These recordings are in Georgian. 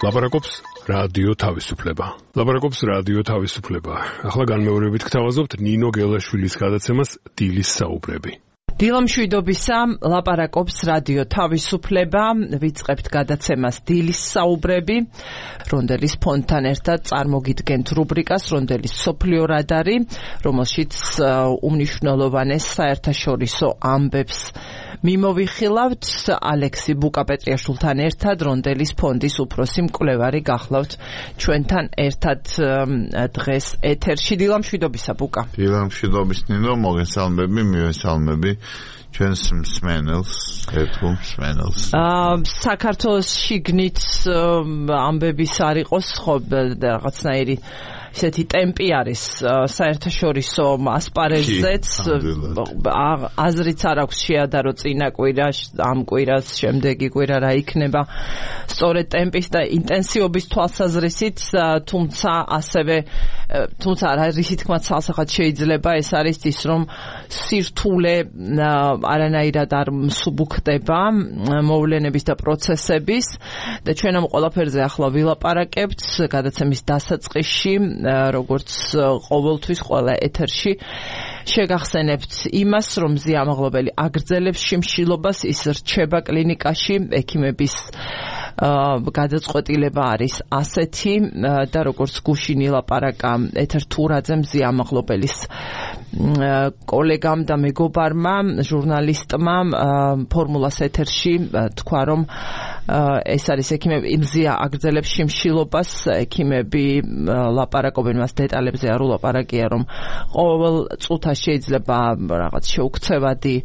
ლაპარაკობს რადიო თავისუფლება. ლაპარაკობს რადიო თავისუფლება. ახლა განმეორებით გთავაზობთ ნინო გელაშვილის გადაცემას დილის საუბრები. დილამშვიდობისა, ლაპარაკობს რადიო თავისუფლება, ვიწყებთ გადაცემას დილის საუბრები, რონდელის ფონდთან ერთად წარმოგიდგენთ რუბრიკას, რონდელის სოფლიო რადარი, რომელშიც უმნიშვნელოვანეს საერთაშორისო ამბებს მიმოვიხილავთ. ალექსი ბუკაპეტრიაშვილთან ერთად რონდელის ფონდის უფროსი მკვლევარი გახლავთ ჩვენთან ერთად დღეს ეთერში. დილამშვიდობისა, ბუკა. დილამშვიდობის, ნინო, მოგესალმები, მივესალმები ჩვენს მსმენელს, ერთგულ მსმენელს. საქართველოს შიგნით ამბების არ იყოს, ხო, რაღაცნაირი ისეთი ტემპი არის საერთაშორისო ასპარეზზეც, აზრიც არ აქვს შეადარო წინა კვირა, ამ კვირას შემდეგი კვირა რა იქნება სწორედ ტემპის და ინტენსივობის თვალსაზრისით, თუმცა რისი თქმა ცალსახად შეიძლება, ეს არის ის, რომ სირთულე არანაირად არ მსუბუქდება მოვლენების და პროცესების და ჩვენ ამ ყველაფერზე ახლა ვილაპარაკებთ გადაცემის დასაწყისში, როგორც ყოველთვის ყველა ეთერში შეგახსენებთ იმას, რომ ზიამაღლობელი აგრძელებს შიმშილობას, ის რჩება კლინიკაში, ექიმების გადაწყვეტილება არის ასეთი და როგორც გუშინ ილაპარაკა ეთერ თურაძემ, ზიამაღლობელის კოლეგამ და მეგობარმა, ჟურნალისტმა ფორმულას ეთერში თქვა, რომ ეს არის ექიმები, იმზია აგრძელებს შიმშილობას, ექიმები ლაპარაკობენ მას დეტალებზე, არ ულაპარაკია, რომ ყოველ წუთას შეიძლება რაღაც შეუქცევადი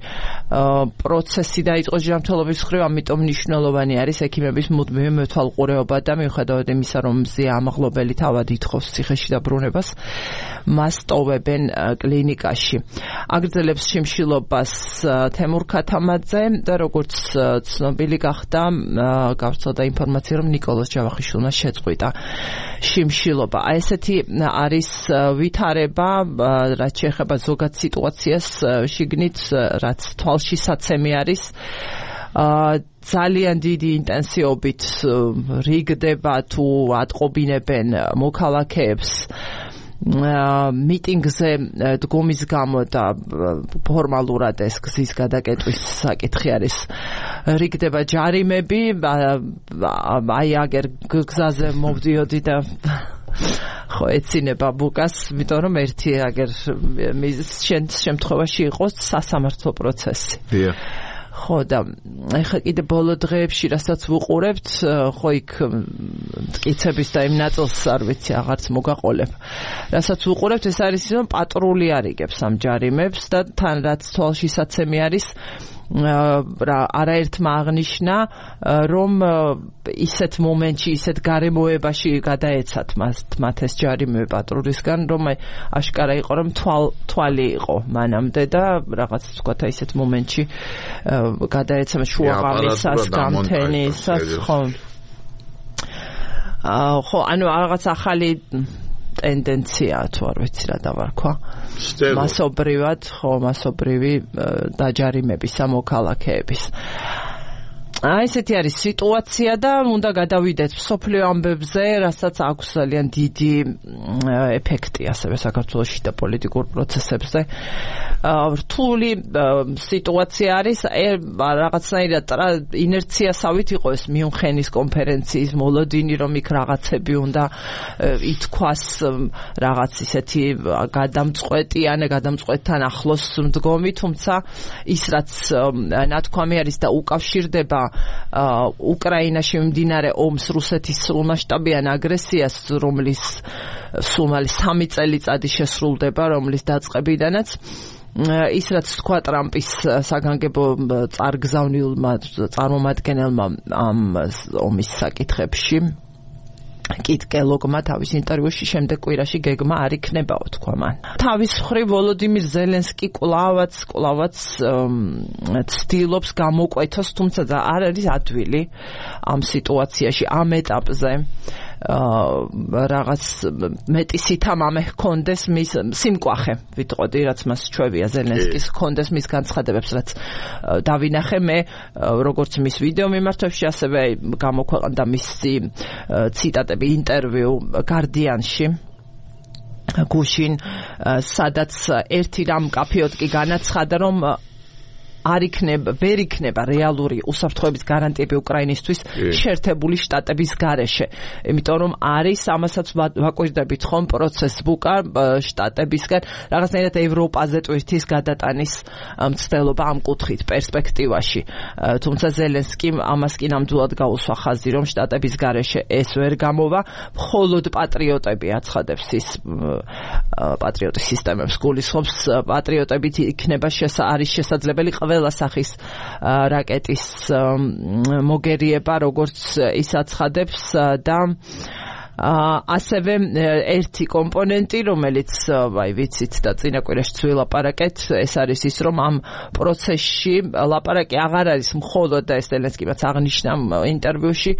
პროცესი დაიწყოს ჯანმრთელობის მხრივ, ამიტომ მნიშვნელოვანი არის ექიმების მუდმივი მეთვალყურეობა და მიუხედავად იმისა, რომ ზიამაღლობელი თავად ითხოვს ციხეში დაბრუნებას, მას ტოვებენ კლინიკაში. აგრძელებს შიმშილობას თემურ ქათამაძე და როგორც ცნობილი გახდა, გავრცელდა ინფორმაცია, რომ ნიკოლოზ ჯავახიშვილმა შეწყვიტა შიმშილობა. ესეთი არის ვითარება, რაც შეეხება ზოგად სიტუაციას შიგნით, რაც თვალშისაცემი არის. ძალიან დიდი ინტენსივობით რიგდება თუ ატყობინებენ მოქალაქეებს მიტინგზე დგომის გამო და ფორმალურად ეს გზის გადაკეტვის საკითხი არის. რიგდება ჯარიმები, აი აგერ გზაზე მოვდიოდი და ხო ეცინება ბუკას, იმიტომ რომ ერთი აგერ შემთხვევაში იყოს სასამართლო პროცესი. ხო და ეხლა კიდე ბოლო დღეებში რასაც ვუყურებთ, ხო იქ მტკიცების და იმ ნაწილს არ ვიცი, აღარც მოგაყოლებ. რასაც ვუყურებთ, ეს არის ის, რომ პატრული არიგებს ამ ჯარიმებს და თან რაც თვალშისაცემი არის, არაერთმა აღნიშნა, რომ ისეთ მომენტში, ისეთ გარემოებაში გადაეცათ მათ ეს ჯარიმები პატრულისგან, რომ აშკარა იყო, რომ თვალი იყო მანამდე და რაღაც თქვათ ისეთ მომენტში გადაეცათ შუაღამისას, გამთენისას, ხო. ხო, ანუ რაღაც ახალი ტენდენცია თუ არ ვიცი რა დავარქვა. მასობრივი დაჯარიმების სამოქალაქეების. ესეთი არის სიტუაცია და უნდა გადავიდეთ მსოფლიო ამბებზე, რასაც აქვს ძალიან დიდი ეფექტი ასევე საქართველოში და პოლიტიკურ პროცესებზე. რთული სიტუაცია არის, რაღაცნაირად ინერციასავით იყო ეს მიუნხენის კონფერენციის მოლოდინი, რომ იქ რაღაცები უნდა ითქვას, რაღაც ისეთი გადამწყვეტთან ახლოს მდგომი, თუმცა ის რაც ნათქვამი არის და უკავშირდება უკრაინაში მიმდინარე ომს, რუსეთის სრულმასშტაბიან აგრესიას, რომლის სულ 3 წელიწადი შესრულდება, რომლის დაწყებიდანაც ის რაც თქვა ტრამპის საგანგებო წარგზავნილმა წარმომადგენელმა ამ ომის საკითხებში, კით კელოგმა თავის ინტერვიუში შემდეგ კვირაში გეგმა არ იქნებაო, თქვა მან. თავის მხრივ ვოლოდიმირ ზელენსკი კლავაც ცდილობს გამოკვეთოს, თუმცა არ არის ადვილი ამ სიტუაციაში, ამ ეტაპზე რაღაც მეტი სითამამე ჰქონდეს მის სიმკვახე ვიტყოდი რაც მას ჩვევია ზელენსკის ჰქონდეს მის განცხადებებს რაც დავინახე მე როგორც მის ვიდეო მიმართვებში ასევე გამოქვეყნდა მისი ციტატები ინტერვიუ Guardian-ში გუშინ სადაც ერთი რამ მკაფიოდ კი განაცხადა რომ ვერ იქნება რეალური უსაფრთხოების გარანტიები უკრაინისთვის შეერთებული შტატების გარეშე. იმიტომ რომ არის ამასაც ვაკვირდებით ხომ პროცესს ბუკა შტატებისგან რაღაცნაირად ევროპაზე ტვირთის გადატანის მცდელობა ამ კუთხით პერსპექტივაში. თუმცა ზელენსკიმ ამას კი ნამდვილად გაუსვა ხაზი რომ შტატების გარეშე ეს ვერ გამოვა, მხოლოდ პატრიოტები აცხადებს ის პატრიოტის სისტემებს გულისხმობს პატრიოტებით იქნება არის შესაძლებელი ყველა სახის რაკეტის მოგერიება როგორც ის აცხადებს და ასევე ერთი კომპონენტი რომელიც ვიცით და წინა კვირაში ვილაპარაკეთ ეს არის ის რომ ამ პროცესში ლაპარაკი აღარ არის მხოლოდ და ეს ზელენსკიმაც აღნიშნა ინტერვიუში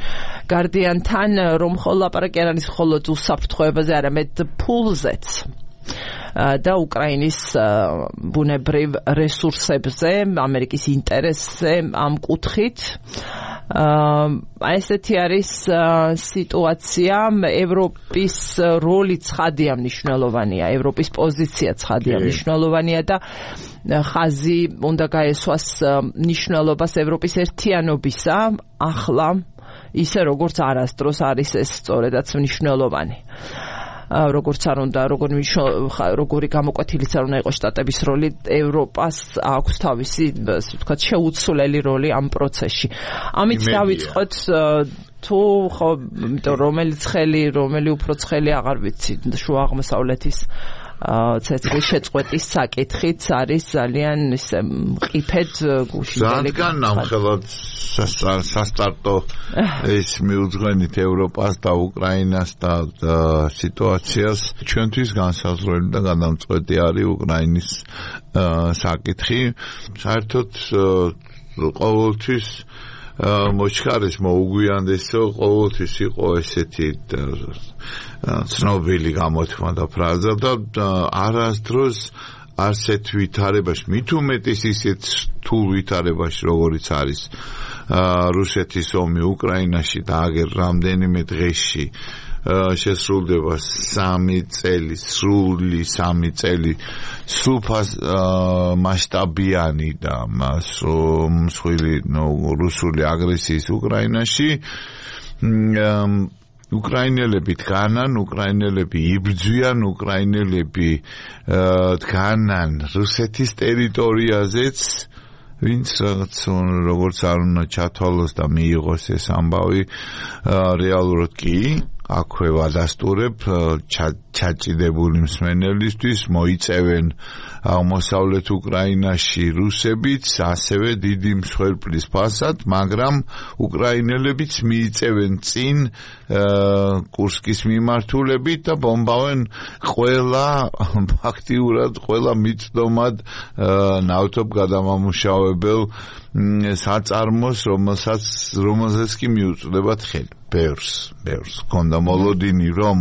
Guardian-თან რომ ლაპარაკი არ არის მხოლოდ უსაფრთხოებაზე არამედ ფულზეც და უკრაინის ბუნებრივ რესურსებზე, ამერიკის ინტერესზე ამ კუთხით. ესეთი არის სიტუაცია, ევროპის როლი ცხადია მნიშვნელოვანია, ევროპის პოზიცია ცხადია მნიშვნელოვანია და ხაზი უნდა გაესვას მნიშვნელობას ევროპის ერთიანობისა, ახლა ისე როგორც არასდროს არის ეს სწორედაც მნიშვნელოვანი. როგორც არ უნდა როგორი გამოკვეთილიც არ უნდა იყოს შტატების როლი ევროპას აქვს თავისი ვთქვათ შეუცვლელი როლი ამ პროცესში ამით დავიწყოთ თუ ხო რომელი უფრო ცხელი აღარ ვიცი შუა აღმოსავლეთის ცეცხლის შეწყვეტის საკითხიც არის ძალიან ისე მყიფედ გუშინდელი განამხელად სასტარტო ეს მიუძღვენით ევროპას და უკრაინას და სიტუაციას ჩვენთვის განსაზღვრელი და გადამწყვეტი არის უკრაინის საკითხი საერთოდ ყოველთვის მოჩქარის მოუგვიანდეს ყოველთვის იყო ესეთი ცნობილი გამოთქმა და ფრაზა და არასდროს ასეთ ვითარებაში მით უმეტეს ისეთ რთულ ვითარებაში როგორიც არის რუსეთის ომი უკრაინაში და აგერ რამდენიმე დღეში შესრულდება 3 წელი სრული 3 წელი სულფას მასშტაბიანი და მსხვილი რუსული აგრესიის უკრაინაში უკრაინელები დგანან, უკრაინელები იბრძვიან, უკრაინელები დგანან რუსეთის ტერიტორიაზეც ვინც როგორც არ უნდა ჩათვალოს და მიიღოს ეს ამბავი რეალურად კი აქვე ვადასტურებ ჩაჭიდებული მსმენელისთვის მოიწევენ აღმოსავლეთ უკრაინაში რუსებიც ასევე დიდი მსხვერპლის ფასად, მაგრამ უკრაინელებიც მიიწევენ წინ კურსკის მიმართულებით და ბომბავენ ფაქტიურად ყველა მიწდომად ნავთობ გადამამუშავებელ საწარმოს, რომელსაც კი მიუწვდებათ ხელი. ბევრს ქონდა მოლოდინი რომ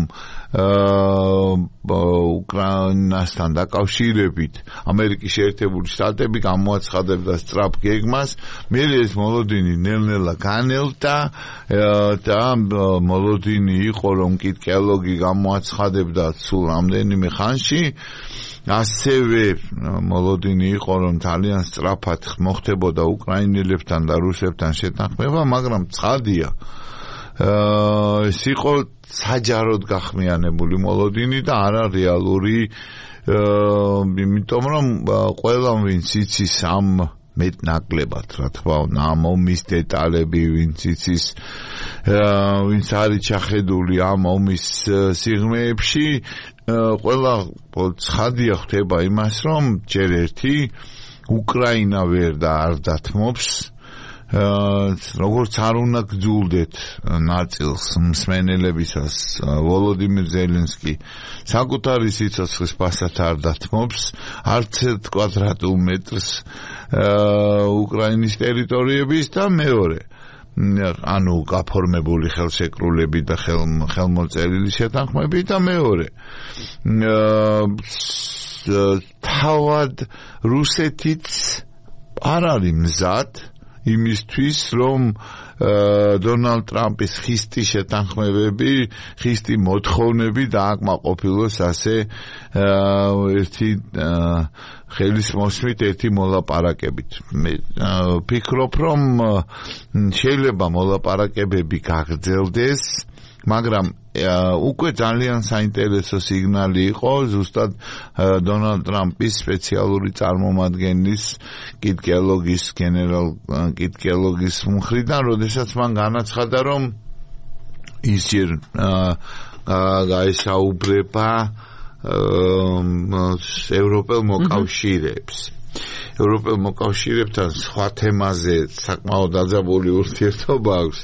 უკრაინასთან დაკავშირებით ამერიკის შეერთებული შტატები გამოაცხადებდა სწრაფ გეგმას, მერე ეს მოლოდინი ნელ-ნელა განელდა და მოლოდინი იყო რომ კითხელოგი გამოაცხადებდა სულ რამდენიმე ხანში ასევე მოლოდინი იყო რომ ძალიან სწრაფად მოხდებოდა უკრაინელებთან და რუსებთან შეთანხმება, მაგრამ ცხადია ეს იყო საჯაროდ გახმიანებული მოლოდინი და არა რეალური იმიტომ რომ ყველა ვინც იცის ამ მეტნაკლებად რა თქმა უნდა ამ ომის დეტალები ვინც იცის ვინც არის ჩახედული ამ ომის სიღრმეებში ყველა ცხადია ხდება იმას რომ ჯერ ერთი უკრაინა ვერ და არ დათმობს როგორც არ უნდა გძულდეთ ნაწილს მსმენელებისას ვოლოდიმირ ზელენსკი საკუთარი სიცოცხლის ფასად არ დათმობს არც 1 კვადრატულ მეტრს უკრაინის ტერიტორიების და მეორე ანუ გაფორმებული ხელშეკრულები და ხელმოწერილი შეთანხმები და მეორე თავად რუსეთიც არ არის მზად იმისთვის რომ დონალდ ტრამპის ხისტი შეთანხმებები, ხისტი მოთხოვნები დააკმაყოფილოს ასე ერთი ხელის მოსმით ერთი მოლაპარაკებით. მე ვფიქრობ რომ შეიძლება მოლაპარაკებები გაგრძელდეს, მაგრამ უკვე ძალიან საინტერესო სიგნალი იყო ზუსტად დონალდ ტრამპის სპეციალური წარმომადგენლის გენერალ კიტ კელოგის მხრიდან, როდესაც მან განაცხადა, რომ ის ჯერ გაესაუბრება ევროპელ მოკავშირეებს. ევროპელ მოკავშირეებთან სხვა თემაზე საკმაოდ დაძაბული ურთიერთობა აქვს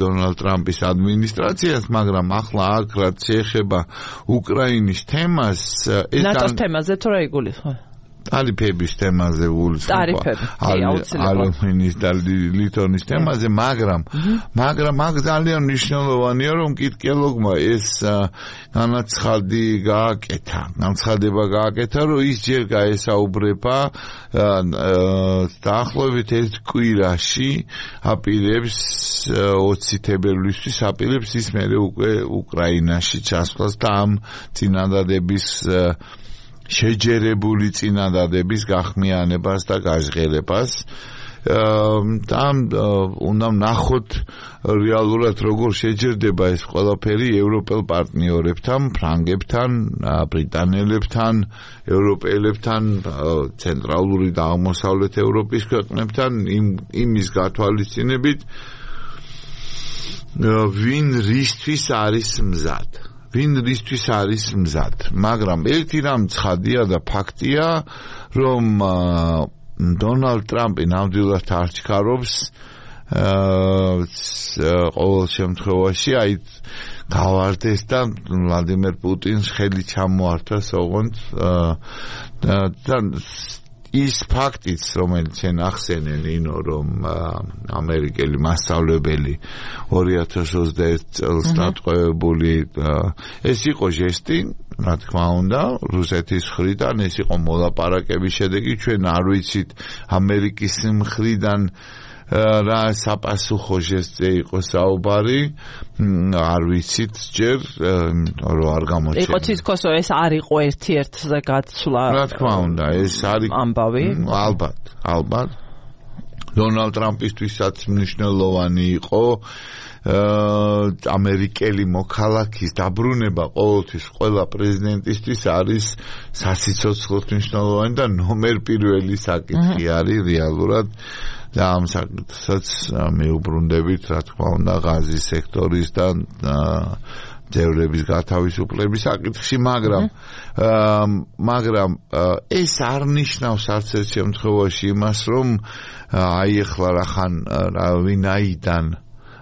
დონალდ ტრამპის ადმინისტრაციას, მაგრამ ახლა აქ რაც შეეხება უკრაინის თემას, ეს ნატოს თემაზე თუ რა იგულისხმება? ტარიფების თემაზე ალუმინის და ლითონის თემაზე, მაგრამ აქ ძალიან მნიშვნელოვანია, რომ კიტ კელოგმა ეს განცხადება გააკეთა, რომ ის ჯერ გაესაუბრება დაახლოებით ერთ კვირაში აპირებს 20 თებერვლისთვის აპირებს ის მერე უკვე უკრაინაში ჩასვლას და ამ წინადადების შეჯერებული წინადადების გახმიანებას და გაჟღერებას. უნდა ნახოთ რეალურად როგორ შეჯერდება ეს ყველაფერი ევროპელ პარტნიორებთან, ფრანგებთან, ბრიტანელებთან, ევროპელებთან, ცენტრალური და აღმოსავლეთ ევროპის ქვეყნებთან იმის გათვალისწინებით, ვინ რისთვის არის მზად. მაგრამ ერთი რამ ცხადია და ფაქტია, რომ დონალდ ტრამპი ნამდვილად არ ჩქარობს ყოველ შემთხვევაში გავარდეს და ვლადიმერ პუტინს ხელი ჩამოართვას ოღონდ ის ფაქტიც, რომელიც შენ ახსენე, ნინო, რომ ამერიკელი მასწავლებელი 2021 წელს დატყვევებული, ეს იყო ჟესტი, რა თქმა უნდა, რუსეთის მხრიდან, ეს იყო მოლაპარაკების შედეგი, ჩვენ არ ვიცით ამერიკის მხრიდან რა საპასუხო ჟესტზე იყო საუბარი, არ ვიცით ჯერ, რომ არ გამოჩნდა. იყო თითქოსო ეს არ იყო ერთ-ერთზე გაცვლა. რა თქმა უნდა, ეს არის ამბავი. ალბათ. დონალდ ტრამპისთვისაც მნიშვნელოვანი იყო ამერიკელი მოქალაქის დაბრუნება ყოველთვის ყველა პრეზიდენტისთვის არის სასიცოცხლოდ მნიშვნელოვანი და ნომერ პირველი საკითხი არის რეალურად. და ამ საკითხსაც მეუბრუნდებით, რა თქმა უნდა, ღაზის სექტორის და ძევრების გათავისუფლების საკითხში, მაგრამ ეს არ ნიშნავს არც ერთ შემთხვევაში იმას, რომ ეხლა ვინაიდან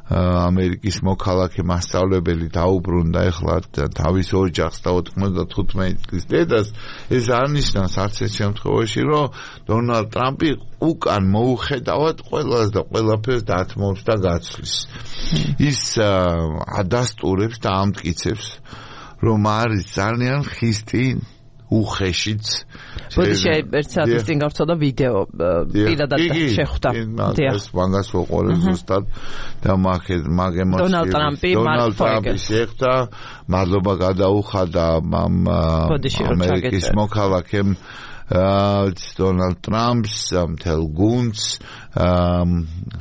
ამერიკის მოქალაქე მასწავლებელი დაუბრუნდა ეხლა თავის ოჯახს და 95 წლის დედას, ეს არ ნიშნავს არც ერთ შემთხვევაში, რომ დონალდ ტრამპი უკან მოუხედავად ყველას და ყველაფერს დათმობს და გაცვლის. ის ადასტურებს და ამტკიცებს, რომ არის ძალიან ხისტი უხეშიც. ბოდიში ერთ საათის წინ გავწოდა ვიდეო პირადად შეხვდა. ეს მაგას ვუყურე ზუსტად და დონალდ ტრამპი შეხვდა, მადლობა გადაუხადა ამერიკის მოქალაქემ დონალდ ტრამპს, მთელ გუნდს,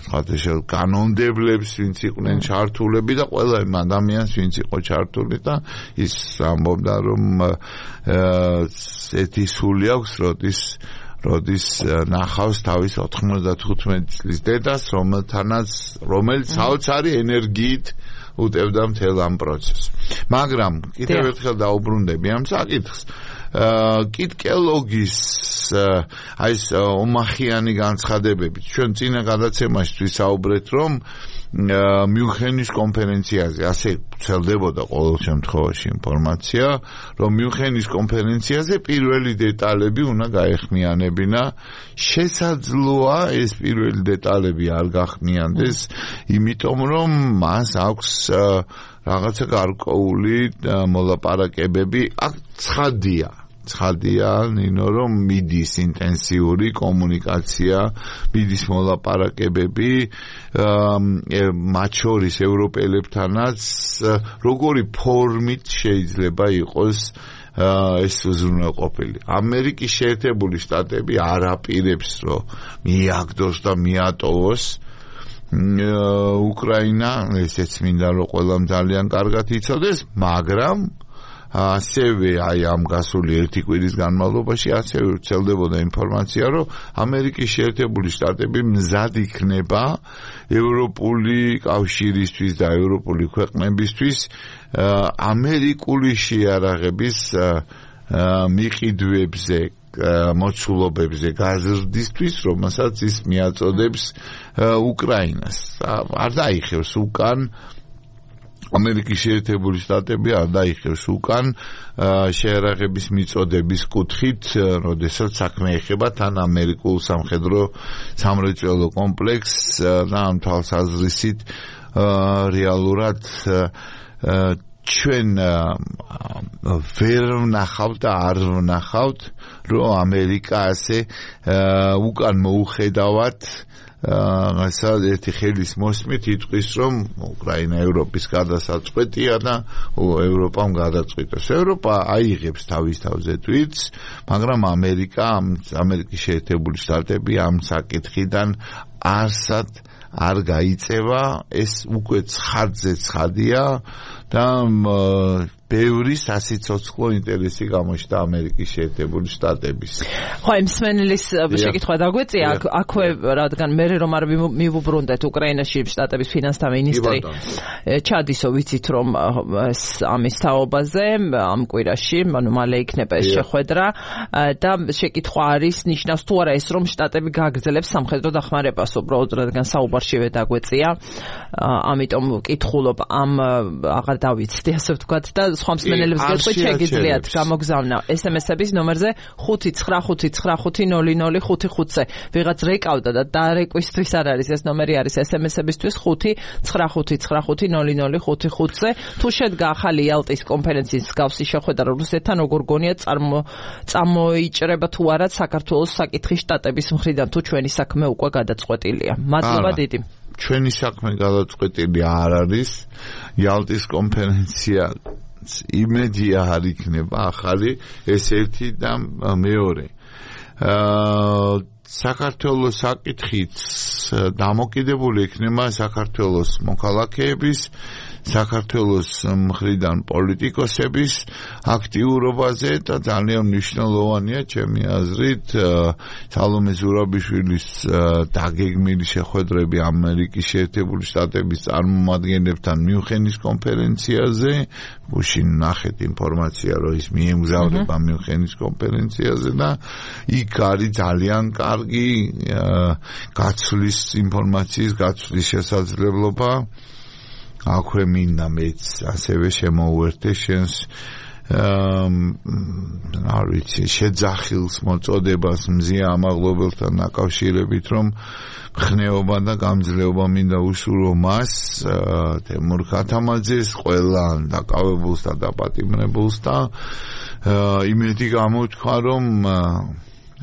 ხათაშელ კანონდებლებს, ვინც იყვნენ ჩართულები და ყველა იმ ადამიანს, ვინც იყო ჩართული და ის ამბობდა, რომ ეთი სული აქვს, როდის ნახავს თავის 95 წლის დედას, რომელიც საოცარი ენერგიით უტევდა მთელ ამ პროცესს. მაგრამ კიდევ ერთხელ დაუბრუნდები ამ საკითხს. კიტკელოგის აი ეს ომახიანი განცხადებებით ჩვენ წინა გადაცემაში ვისაუბრეთ რომ მიუნხენის კონფერენციაზე ასე ვრცელდებოდა ყოველ შემთხვევაში ინფორმაცია რომ მიუნხენის კონფერენციაზე პირველი დეტალები უნდა გაეხმიანებინა შესაძლოა ეს პირველი დეტალები არ გახმიანდეს იმიტომ რომ მას აქვს რაღაცა გარკვეული მოლაპარაკებები აქ ცხადია ნინო რომ მიდის ინტენსიური კომუნიკაცია მიდის მოლაპარაკებები მათ შორის ევროპელებთანაც როგორი ფორმით შეიძლება იყოს ეს უზრუნველყოფილი ამერიკის შეერთებული შტატები არ აპირებს რომ მიაგდოს და მიატოვოს უკრაინა ესეც მინდა რომ ყველამ ძალიან კარგად იცოდეს მაგრამ ასევე აი ამ გასული ერთი კვირის განმავლობაში ასევე ვრცელდებოდა ინფორმაცია რომ ამერიკის შეერთებული შტატები მზად იქნება ევროპული კავშირისთვის და ევროპული ქვეყნებისთვის ამერიკული შეარაღების მიყიდვებზე მოცულობებზე გაზრდისთვის რომელსაც ის მიაწოდებს უკრაინას არ დაიხევს უკან ამერიკის შეერთებული შტატები არ დაიხევს უკან შეარაღების მიწოდების კუთხით, როდესაც საქმე ეხება თან ამერიკულ სამხედრო-სამრეწველო კომპლექსს და ამ თვალსაზრისით რეალურად ჩვენ ვერ ვნახავთ და არ ვნახავთ, რომ ამერიკა ასე უკან მოუხედავად ერთი ხელის მოსმით იტყვის რომ უკრაინა ევროპის გადასაწყვეტია და ევროპამ გადაწყვიტოს. ევროპა აიღებს თავის თავზე თვითს, მაგრამ ამერიკის შეერთებული შტატები ამ საკითხიდან არსად არ გაიწევა, ეს უკვე ცხადია და ბევრი სასიცოცხლო ინტერესი გამოჩნდა ამერიკის შეერთებული შტატების. ხო, იმ სმენელის შეკითხვა დაგვეწია, აქვე რადგან მე რომ არ მივუბრუნდეთ უკრაინაში შტატების ფინანსთა მინისტრი ჩადისო ვიცით რომ ამის თაობაზე ამ კვირაში, ანუ მალე იქნება ეს შეხვედრა და შეკითხვა არის ნიშნავს თუ არა ეს რომ შტატები გააგრძელებს სამხედრო დახმარებას უბრალოდ რადგან საუბარშივე დაგვეწია. ამიტომ ვკითხულობ ამ აღარ დავიცდი ასე ვთქვათ და სხვა მსმენელებს გეტყვით შეგიძლიათ გამოგზავნა SMS-ების ნომერზე 599590055-ზე. ვიღაც რეკავდა და დარეკვისთვის არ არის ეს ნომერი არის SMS-ებისთვის 599590055-ზე. თუ შედგა ახალი იალტის კონფერენციის მსგავსი შეხვედრა რუსეთთან როგორ გონია წამოიჭრება თუ არა საქართველოს საკითხი შტატების მხრიდან თუ ჩვენი საქმე უკვე გადაწყვეტილია. მადლობა დიდი. ჩვენი საქმე გადაწყვეტილი არ არის. იალტის კონფერენცია იმედია არ იქნება ახალი ეს ერთი და მეორე. საქართველოს საკითხიც დამოკიდებული იქნება საქართველოს მოქალაქეების საქართველოს მხრიდან პოლიტიკოსების აქტიურობაზე და ძალიან მნიშვნელოვანია ჩემი აზრით სალომე ზურაბიშვილის დაგეგმილი შეხვედრები ამერიკის შეერთებული შტატების წარმომადგენლებთან მიუნხენის კონფერენციაზე. გუშინ ნახეთ ინფორმაცია რომ ის მიემგზავრება მიუნხენის კონფერენციაზე და იქ არის ძალიან კარგი გაცვლის ინფორმაციის გაცვლის შესაძლებლობა. აქვე მინდა მეც ასევე შემოუერთე შენს არ ვიცი შეძახილს მოწოდებას მზია ამაღლობელთან დაკავშირებით რომ ხნეობა და გამძლეობა მინდა უსურვო მას თემურ ქათამაძეს ყველა დაკავებულს და დაპატიმრებულს და იმედი გამოთქვა რომ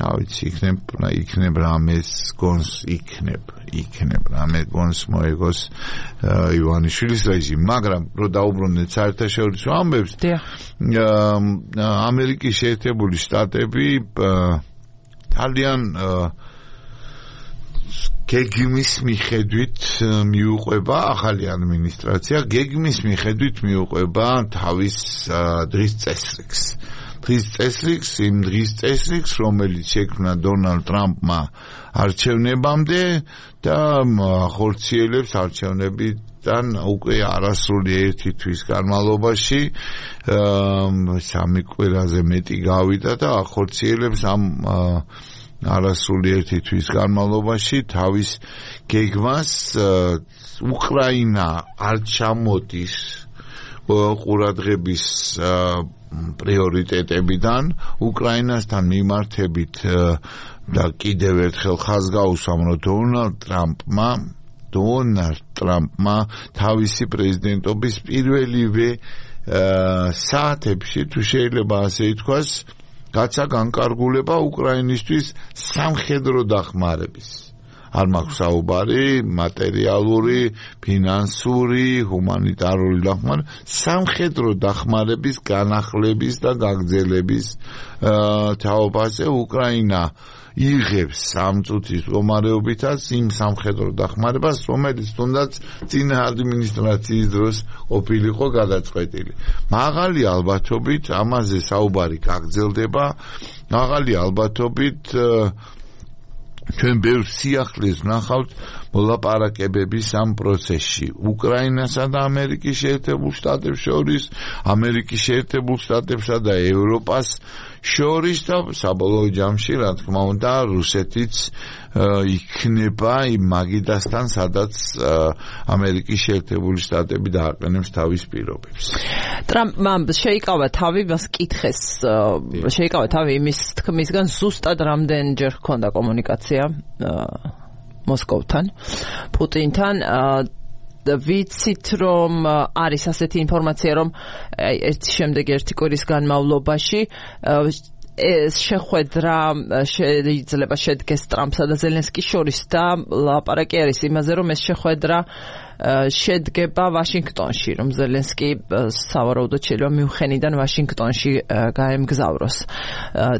ავიცი იქნებ რამეს გონს იქნებ რამე გონს მოეგოს ივანიშვილის რეჟიმი მაგრამ რო დაუბრუნდეთ საერთაშორისო ამბებს ამერიკის შეერთებული შტატები ძალიან გეგმის მიხედვით მიუყვება ახალი ადმინისტრაცია გეგმის მიხედვით მიუყვება თავის დღის წესრიგს იმ დღის წესრიგს, რომელიც შექმნა დონალდ ტრამპმა არჩევნებამდე და ახორციელებს არჩევნებით ამერიკიდან უკვე არასრული 1 თვის განმავლობაში 3 კვირაზე მეტი გავიდა და ახორციელებს ამ არასრული 1 თვის განმავლობაში თავის გეგმას უკრაინა არ ჩამოდის ყურადღების პრიორიტეტებიდან უკრაინასთან მიმართებით და კიდევ ერთხელ ხაზგაუსვამ რომ დონალდ ტრამპმა თავისი პრეზიდენტობის პირველივე საათებში თუ შეიძლება ასე ითქვას გაცა განკარგულება უკრაინისთვის სამხედრო დახმარების არ მაქვს საუბარი მატერიალური, ფინანსური, ჰუმანიტარული დახმარება, სამხედრო დახმარების განახლების და გაგრძელების თაობაზე უკრაინა იღებს 3 წუთის მდგომარეობითაც იმ სამხედრო დახმარებას, რომელიც თუნდაც წინა ადმინისტრაციის დროს ყოფილიყო გადაწყვეტილი. მაღალი ალბათობით ამაზე საუბარი გაგრძელდება, მაღალი ალბათობით ჩვენ ბევრ სიახლეს ვნახავთ მოლაპარაკებების ამ პროცესში უკრაინასა და ამერიკის შეერთებულ შტატებს შორის, ამერიკის შეერთებულ შტატებსა და ევროპას შორის და საბოლოო ჯამში რა თქმა უნდა რუსეთიც იქნება იმ მაგიდასთან სადაც ამერიკის შეერთებული შტატები დააყენებს თავის პირობებს. ტრამპმა შეიკავა თავი მას კითხეს შეიკავა თავი იმის თქმისგან ზუსტად რამდენჯერ ჰქონდა კომუნიკაცია მოსკოვთან პუტინთან ვიცით რომ არის ასეთი ინფორმაცია რომ ერთი შემდეგ ერთი კვირის განმავლობაში შეხვედრა შეიძლება შედგეს ტრამპსა და ზელენსკის შორის და ლაპარაკი არის იმაზე რომ ეს შეხვედრა შედგება ვაშინგტონში რომ ზელენსკი სავარაუდოდ შეიძლება მიუნხენიდან ვაშინგტონში გაემგზავროს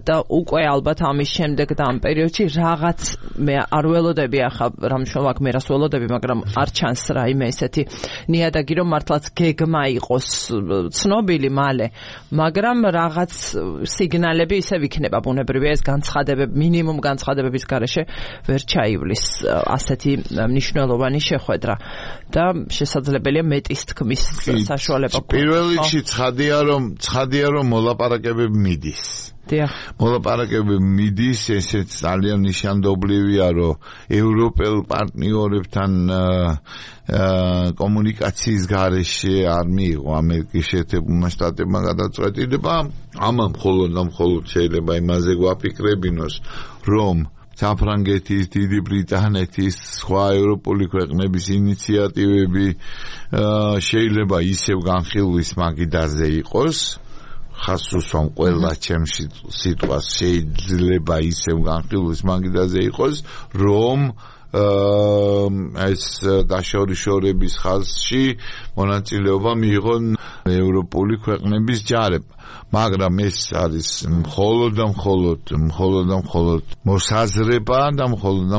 და უკვე ალბათ ამის შემდეგ და ამ პერიოდში რაღაც მე არ ველოდები ახლა რა მნიშვნელობა აქვს მე რას ველოდები მაგრამ არ ჩანს რაიმე ესეთი ნიადაგი რომ მართლაც გეგმა იყოს ცნობილი მალე მაგრამ რაღაც სიგნალები ისევ იქნება ბუნებრივია ეს განცხადებები მინიმუმ განცხადებების გარეშე ვერ ჩაივლის ასეთი მნიშვნელოვანი შეხვედრა და შესაძლებელია მეტის თქმის საშუალება გქონდეს. პირველ რიგში ცხადია რომ მოლაპარაკებები მიდის. მოლაპარაკებები მიდის, ესეც ძალიან ნიშანდობლივია, რომ ევროპელ პარტნიორებთან კომუნიკაციის გარეშე არ მიიღო ამერიკის შეერთებულმა შტატებმა გადაწყვეტილება. ამან მხოლოდ შეიძლება იმაზე გვაფიქრებინოს, რომ საფრანგეთის, დიდი ბრიტანეთის, სხვა ევროპული ქვეყნების ინიციატივები შეიძლება ისევ განხილვის მაგიდაზე იყოს. ხას უსვამ ყველა ჩემში სიტყვას შეიძლება ისევ განხილვის მაგიდაზე იყოს, რომ ეს დაშორიშორების ხაზში მონაწილეობა მიიღონ ევროპული ქვეყნების ჯარებმა. მაგრამ ეს არის მხოლოდ მოსაზრება და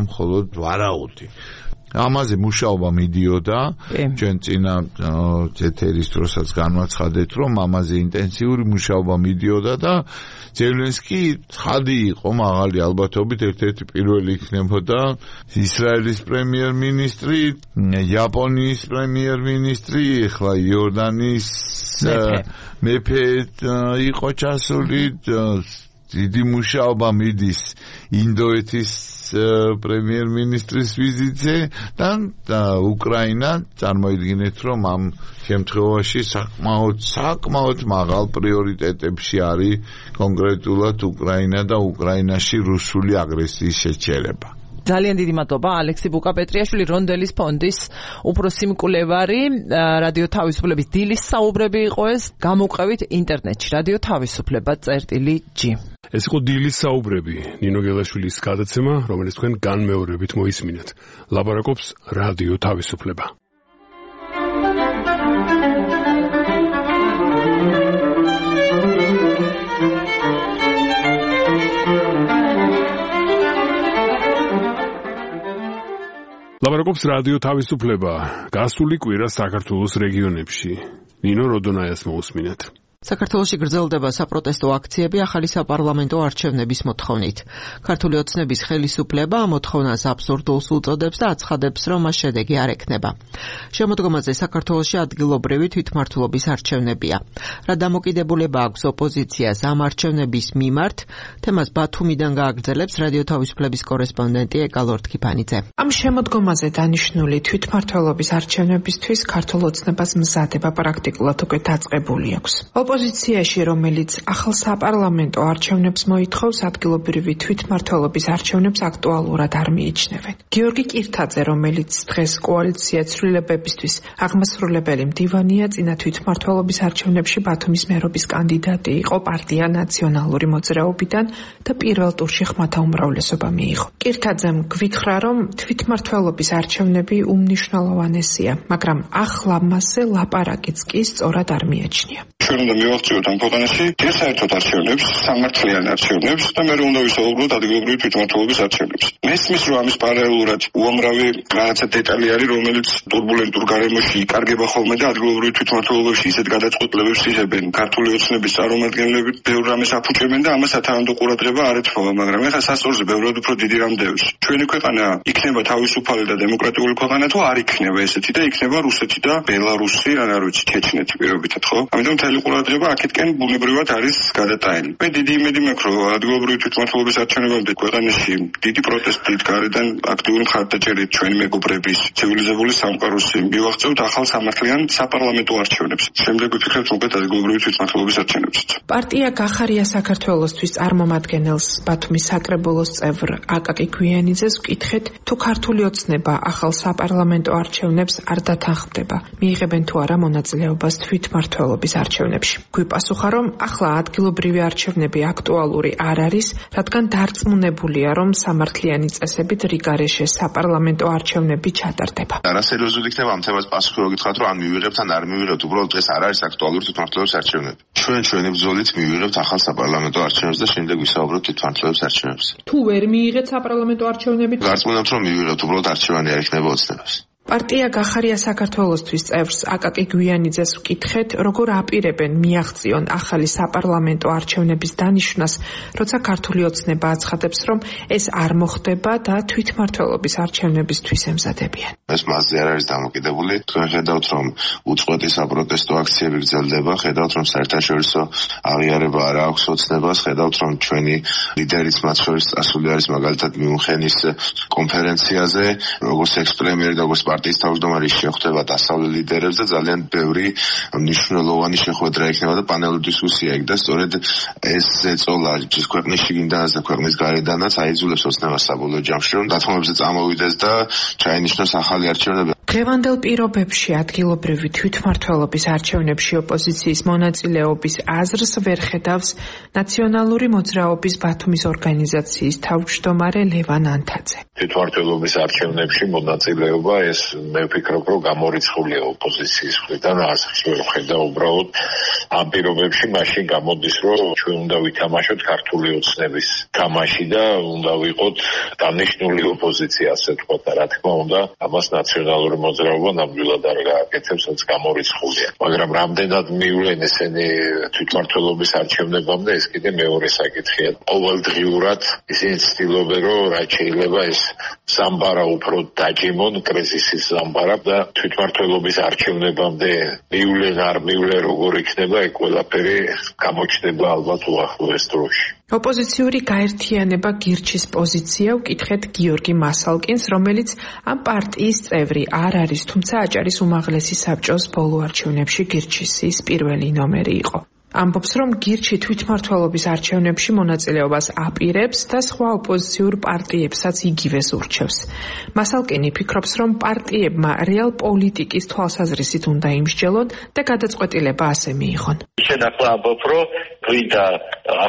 მხოლოდ ვარაუდი. ამაზე მუშაობა მიდიოდა ჩვენ წინა ეთერის დროსაც განვაცხადეთ რომ ამაზე ინტენსიური მუშაობა მიდიოდა და ზელენსკი ცხადი იყო მაღალი ალბათობით ერთ-ერთი პირველი იქნებოდა ისრაელის პრემიერ-მინისტრი, იაპონიის პრემიერ-მინისტრი, ახლა იორდანიის მეფე იყო ჩასული, დიდი მუშაობა მიდის ინდოეთის პრემიერ-მინისტრის ვიზიტზე და უკრაინა წარმოიდგინეთ რომ ამ შემთხვევაში საკმაოდ მაღალ პრიორიტეტებში არის კონკრეტულად უკრაინა და უკრაინაში რუსული აგრესიის შეჩერება. ძალიან დიდი მადლობა ალექსი ბუკაპეტრიაშვილი რონდელის ფონდის უფროსი მკვლევარი რადიო თავისუფლების დილის საუბრები იყო ეს გამოყევით ინტერნეტში რადიო თავისუფლება.g ეს იყო დილის საუბრები ნინო გელაშვილის გადაცემა რომელიც თქვენ განმეორებით მოისმინეთ ლაპარაკობს რადიო თავისუფლება ლაპარაკობს რადიო თავისუფლება გასული კვირა საქართველოს რეგიონებში ნინო როდონაიას მოусმინეთ საქართველოში გრძელდება საპროტესტო აქციები ახალი საპარლამენტო არჩევნების მოთხოვნით. ქართული ოცნების ხელისუფლება ამ მოთხოვნას აბსურდულს უწოდებს და აცხადებს, რომ მას შედეგი არ ექნება. შემოდგომაზე საქართველოში ადგილობრივი თვითმმართველობის არჩევნებია. რა დამოკიდებულება აქვს ოპოზიციას ამ არჩევნების მიმართ, თემას ბათუმიდან გააგრძელებს რადიო თავისუფლების კორესპონდენტი ეკა ლორთქიფანიძე. ამ შემოდგომაზე დანიშნული თვითმმართველობის არჩევნებისთვის ქართულ ოცნებას მზადება პრაქტიკულად უკვე დაწყებული აქვს. ოპოზიციაში, რომელიც ახალ საპარლამენტო არჩევნებს მოითხოვს, ადგილობრივი თვითმმართველობის არჩევნებს აქტუალურად არ მიიჩნევენ. გიორგი კირთაძე, რომელიც დღეს კოალიცია ცვლილებებისთვის აღმასრულებელი მდივანია, წინა თვითმმართველობის არჩევნებში ბათუმის მერობის კანდიდატი იყო პარტია ნაციონალური მოძრაობიდან და პირველ ტურში ხმათა უმრავლესობა მიიღო. კირთაძემ გვითხრა, რომ თვითმმართველობის არჩევნები უმნიშვნელოვანესია, მაგრამ ახლა მასზე ლაპარაკიც კი სწორად არ მიაჩნია. ჩვენ უნდა მივახციოთ ამ ქვეყანაში საერთოდ არჩევნებს, სამართლიან არჩევნებს და მე უნდა ვისაუბროთ ადგილობრივი თვითმმართველობის არჩევნებს. მესმის, რომ ამის პარალელურად უამრავი რაღაცა დეტალი არის, რომელიც турბულენტურ გარემოში იკარგება ხოლმე და ადგილობრივი თვითმმართველობებში ისეთ გადაწყვეტილებებს იღებენ ქართული ოცნების წარმომადგენლები, ბევრ რამეს აფუჭებენ და ამას სათანადო ყურადღება არ ეთხოვა, მაგრამ ეხლა სასწორზე ბევრად უფრო დიდი რამ დევს. ჩვენი ქვეყანა იქნება თავისუფალი და დემოკრატიული ქვეყანა თუ არ იქნება ესეთი და იქნება რუსეთი და ბელარუსი, რა ვიცი, ჩეჩნეთი პირობითად, ხო? ამიტომ მთელი ყურადღება აქეთკენ ბუნებრივად არის გადატანილი. მე დიდი იმედი მაქვს, რომ ადგილობრივი თვითმმართველობის არჩევნებამდე ქვეყანაში დიდი პროტესტით გარედან აქტიური მხარდაჭერით ჩვენი მეგობრების ცივილიზებული სამყაროსი მივაღწევთ ახალ სამართლიან საპარლამენტო არჩევნებს. შემდეგ ვიფიქრებთ უკვე ადგილობრივი თვითმმართველობის არჩევნებსაც. პარტია გახარია საქართველოსთვის წარმომადგენელს ბათუმის საკრებულოს წევრ აკაკი გვიანიძეს ვკითხეთ, თუ ქართული ოცნება ახალ საპარლამენტო არჩევნებს არ დათანხმდება, მიიღებენ თუ არა მონაწილეობას თვითმმართველობის არჩევნებში. გვიპასუხა, რომ ახლა ადგილობრივი არჩევნები აქტუალური არ არის, რადგან დარწმუნებულია, რომ სამართლიანი წესებით რიგარეშე საპარლამენტო არჩევნები ჩატარდება. არასერიოზული იქნება ამ თემას პასუხი რო გითხრათ, რომ ან მივიღებთ ან არ მივიღებთ, უბრალოდ დღეს არ არის აქტუალური თვითმმართველობის არჩევნები. ჩვენი ბრძოლით მივიღებთ ახალ საპარლამენტო არჩევნებს და შემდეგ ვისაუბროთ თვითმმართველობის არჩევნებზე. თუ ვერ მიიღეთ საპარლამენტო არჩევნები, გარწმუნებთ, რომ მივიღებთ, უბრალოდ არჩევანი არ იქნება ოცნებას. პარტია გახარია საქართველოსთვის წევრს აკაკი გვიანიძეს ვკითხეთ, როგორ აპირებენ მიაღწიონ ახალი საპარლამენტო არჩევნების დანიშვნას, როცა ქართული ოცნება აცხადებს, რომ ეს არ მოხდება და თვითმმართველობის არჩევნებისთვის ემზადებიან. ეს მასზე არ არის დამოკიდებული. თქვენ ხედავთ, რომ უწყვეტი საპროტესტო აქციები გრძელდება, ხედავთ, რომ საერთაშორისო აღიარება არ აქვს ოცნებას, ხედავთ, რომ ჩვენი ლიდერიც მათ შორის წასული არის მაგალითად მიუნხენის კონფერენციაზე, როგორც ექს-პრემიერი და როგორც პარტიის თავმჯდომარე შეხვდება დასავლელ ლიდერებს და ძალიან ბევრი მნიშვნელოვანი შეხვედრა იქნება და პანელური დისკუსია იქ და სწორედ ეს ზეწოლა ქვეყნის შიგნიდანაც და ქვეყნის გარედანაც აიძულებს ოცნებას საბოლოო ჯამში, რომ დათმობებზე წამოვიდეს და ჩაინიშნოს ახალი არჩევნები. დღევანდელ პირობებში ადგილობრივი თვითმმართველობის არჩევნებში ოპოზიციის მონაწილეობის აზრს ვერ ხედავს ნაციონალური მოძრაობის ბათუმის ორგანიზაციის თავმჯდომარე ლევან ანთაძე. თვითმმართველობის არჩევნებში მონაწილეობა ეს მე ვფიქრობ, რომ გამორიცხულია ოპოზიციის მხრიდან, აზრს ვერ ხედა უბრალოდ ამ პირობებში მაშინ გამოდის, რომ ჩვენ უნდა ვითამაშოთ ქართული ოცნების თამაში და უნდა ვიყოთ დანიშნული ოპოზიცია, ასე ვთქვათ, და რა თქმა უნდა, ამას ნაციონალური მოძრაობა ნამდვილად არ გააკეთებს, რაც გამორიცხულია. მაგრამ რამდენად მივლენ ესენი თვითმმართველობის არჩევნებამდე, ეს კიდე მეორე საკითხია. ყოველდღიურად ისინი ცდილობენ, რომ რაც შეიძლება ეს სამბარა უფრო დაჯიმონ, კრიზისის სამბარა და თვითმმართველობის არჩევნებამდე მივლენ არ მივლენ როგორ იქნება, ეგ ყველაფერი გამოჩნდება ალბათ უახლოეს დროში. ოპოზიციური გაერთიანება გირჩის პოზიცია ვკითხეთ გიორგი მასალკინს, რომელიც ამ პარტიის წევრი არ არის, თუმცა აჭარის უმაღლესი საბჭოს ბოლო არჩევნებში გირჩის პირველი ნომერი იყო. ამბობს, რომ გირჩი თვითმმართველობის არჩევნებში მონაწილეობას აპირებს და სხვა ოპოზიციურ პარტიებსაც იგივეს ურჩევს. მასალკინი ფიქრობს, რომ პარტიებმა რეალ პოლიტიკის თვალსაზრისით უნდა იმსჯელონ და გადაწყვეტილება ასე მიიღონ. შენ ახლა ამბობ, რომ გვინდა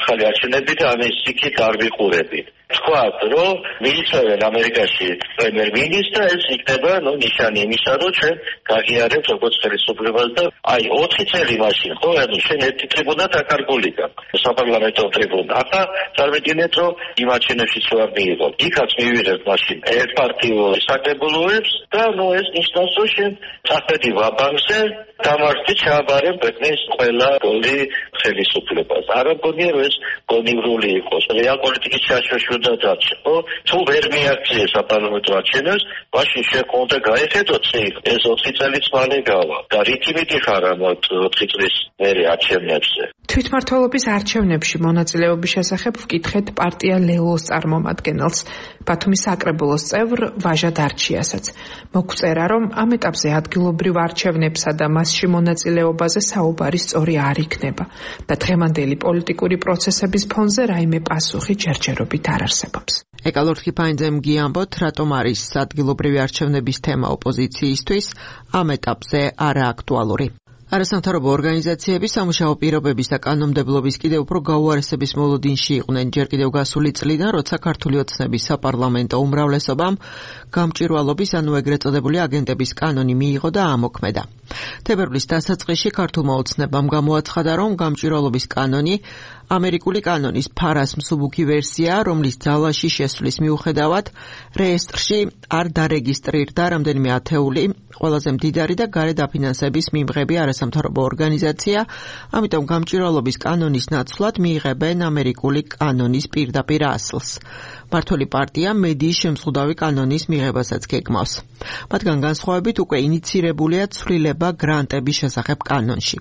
ახალი არჩევნები და ამის იქით არ ვიყურებით. თქვათ, რომ მიიწევენ ამერიკაში პრემიერ-მინისტრს და ეს იქნება ნიშანი იმისა, რომ ჩვენ გაღიარებთ როგორც ხელისუფლებას და 4 წელი მაშინ, ხო, შენ ერთი ტრიბუნა დაკარგული გაქვს, საპარლამენტო ტრიბუნა. ახლა წარმოგიდგენთ, რომ იმ აჩვენებშიც არ მიიღო. იქაც მივიღებთ მაშინ ერთპარტიულ საკრებულოებს და ეს ნიშნავს, რომ შენ წახვედი ვაბანკზე დამარცხდი ჩააბარებ ქვეყნის ყველა გოლი ხელისუფლებას. არა მგონია, რომ ეს გონივრული იყოს. რეალპოლიტიკის ჩაშოშვა დაჩო, თუ ვერ მიაქციეს საპარლამენტო არჩევნებს, მაშინ შეყონდა გაეხედოთ ეს 4 წელიც მალე გავა. და რითი ხარ ამ 4 წლის მერე არჩევნებზე. თვითმმართველობის არჩევნებში მონაწილეობის შესახებ ვკითხეთ პარტია ლელოს წარმომადგენელს, ბათუმის საკრებულოს წევრ ვაჟა დარჩიასაც. მოგვწერა, რომ ამ ეტაპზე ადგილობრივ არჩევნებსა და მასში მონაწილეობაზე საუბარი სწორი არ იქნება და დღევანდელი პოლიტიკური პროცესების ფონზე რაიმე პასუხი ჯერჯერობით არ არსებობს. ეკალორთი ფაინძემ გიამბოთ, რატომ არის ადგილობრივი არჩევნების თემა ოპოზიციისთვის ამ ეტაპზე არააქტუალური. არასამთავრობო ორგანიზაციები სამუშაო პირობების და კანონმდებლობის კიდევ უფრო გაუარესების მოლოდინში იყვნენ ჯერ კიდევ გასული წლიდან, როცა ქართული ოცნების საპარლამენტო უმრავლესობამ გამჭვირვალობის, ანუ ეგრეთ წოდებული აგენტების კანონი მიიღო და ამოქმედა. თებერვლის დასაწყისში ქართულმა ოცნებამ გამოაცხადა, რომ გამჭვირვალობის კანონი ამერიკული კანონის ფარას მსუბუქი ვერსია, რომლის ძალაში შესვლის მიუხედავად რეესტრში არ დარეგისტრირდა რამდენიმე ათეული ყველაზე მდიდარი და გარე დაფინანსების მიმღები არასამთავრობო ორგანიზაცია, ამიტომ გამჭვირვალობის კანონის ნაცვლად მიიღებენ ამერიკული კანონის პირდაპირ ასლს. მართველი პარტია მედიის შემზღუდავი კანონის მიღებასაც გეგმავს. მათგან განსხვავებით უკვე ინიცირებულია ცვლილება გრანტების შესახებ კანონში.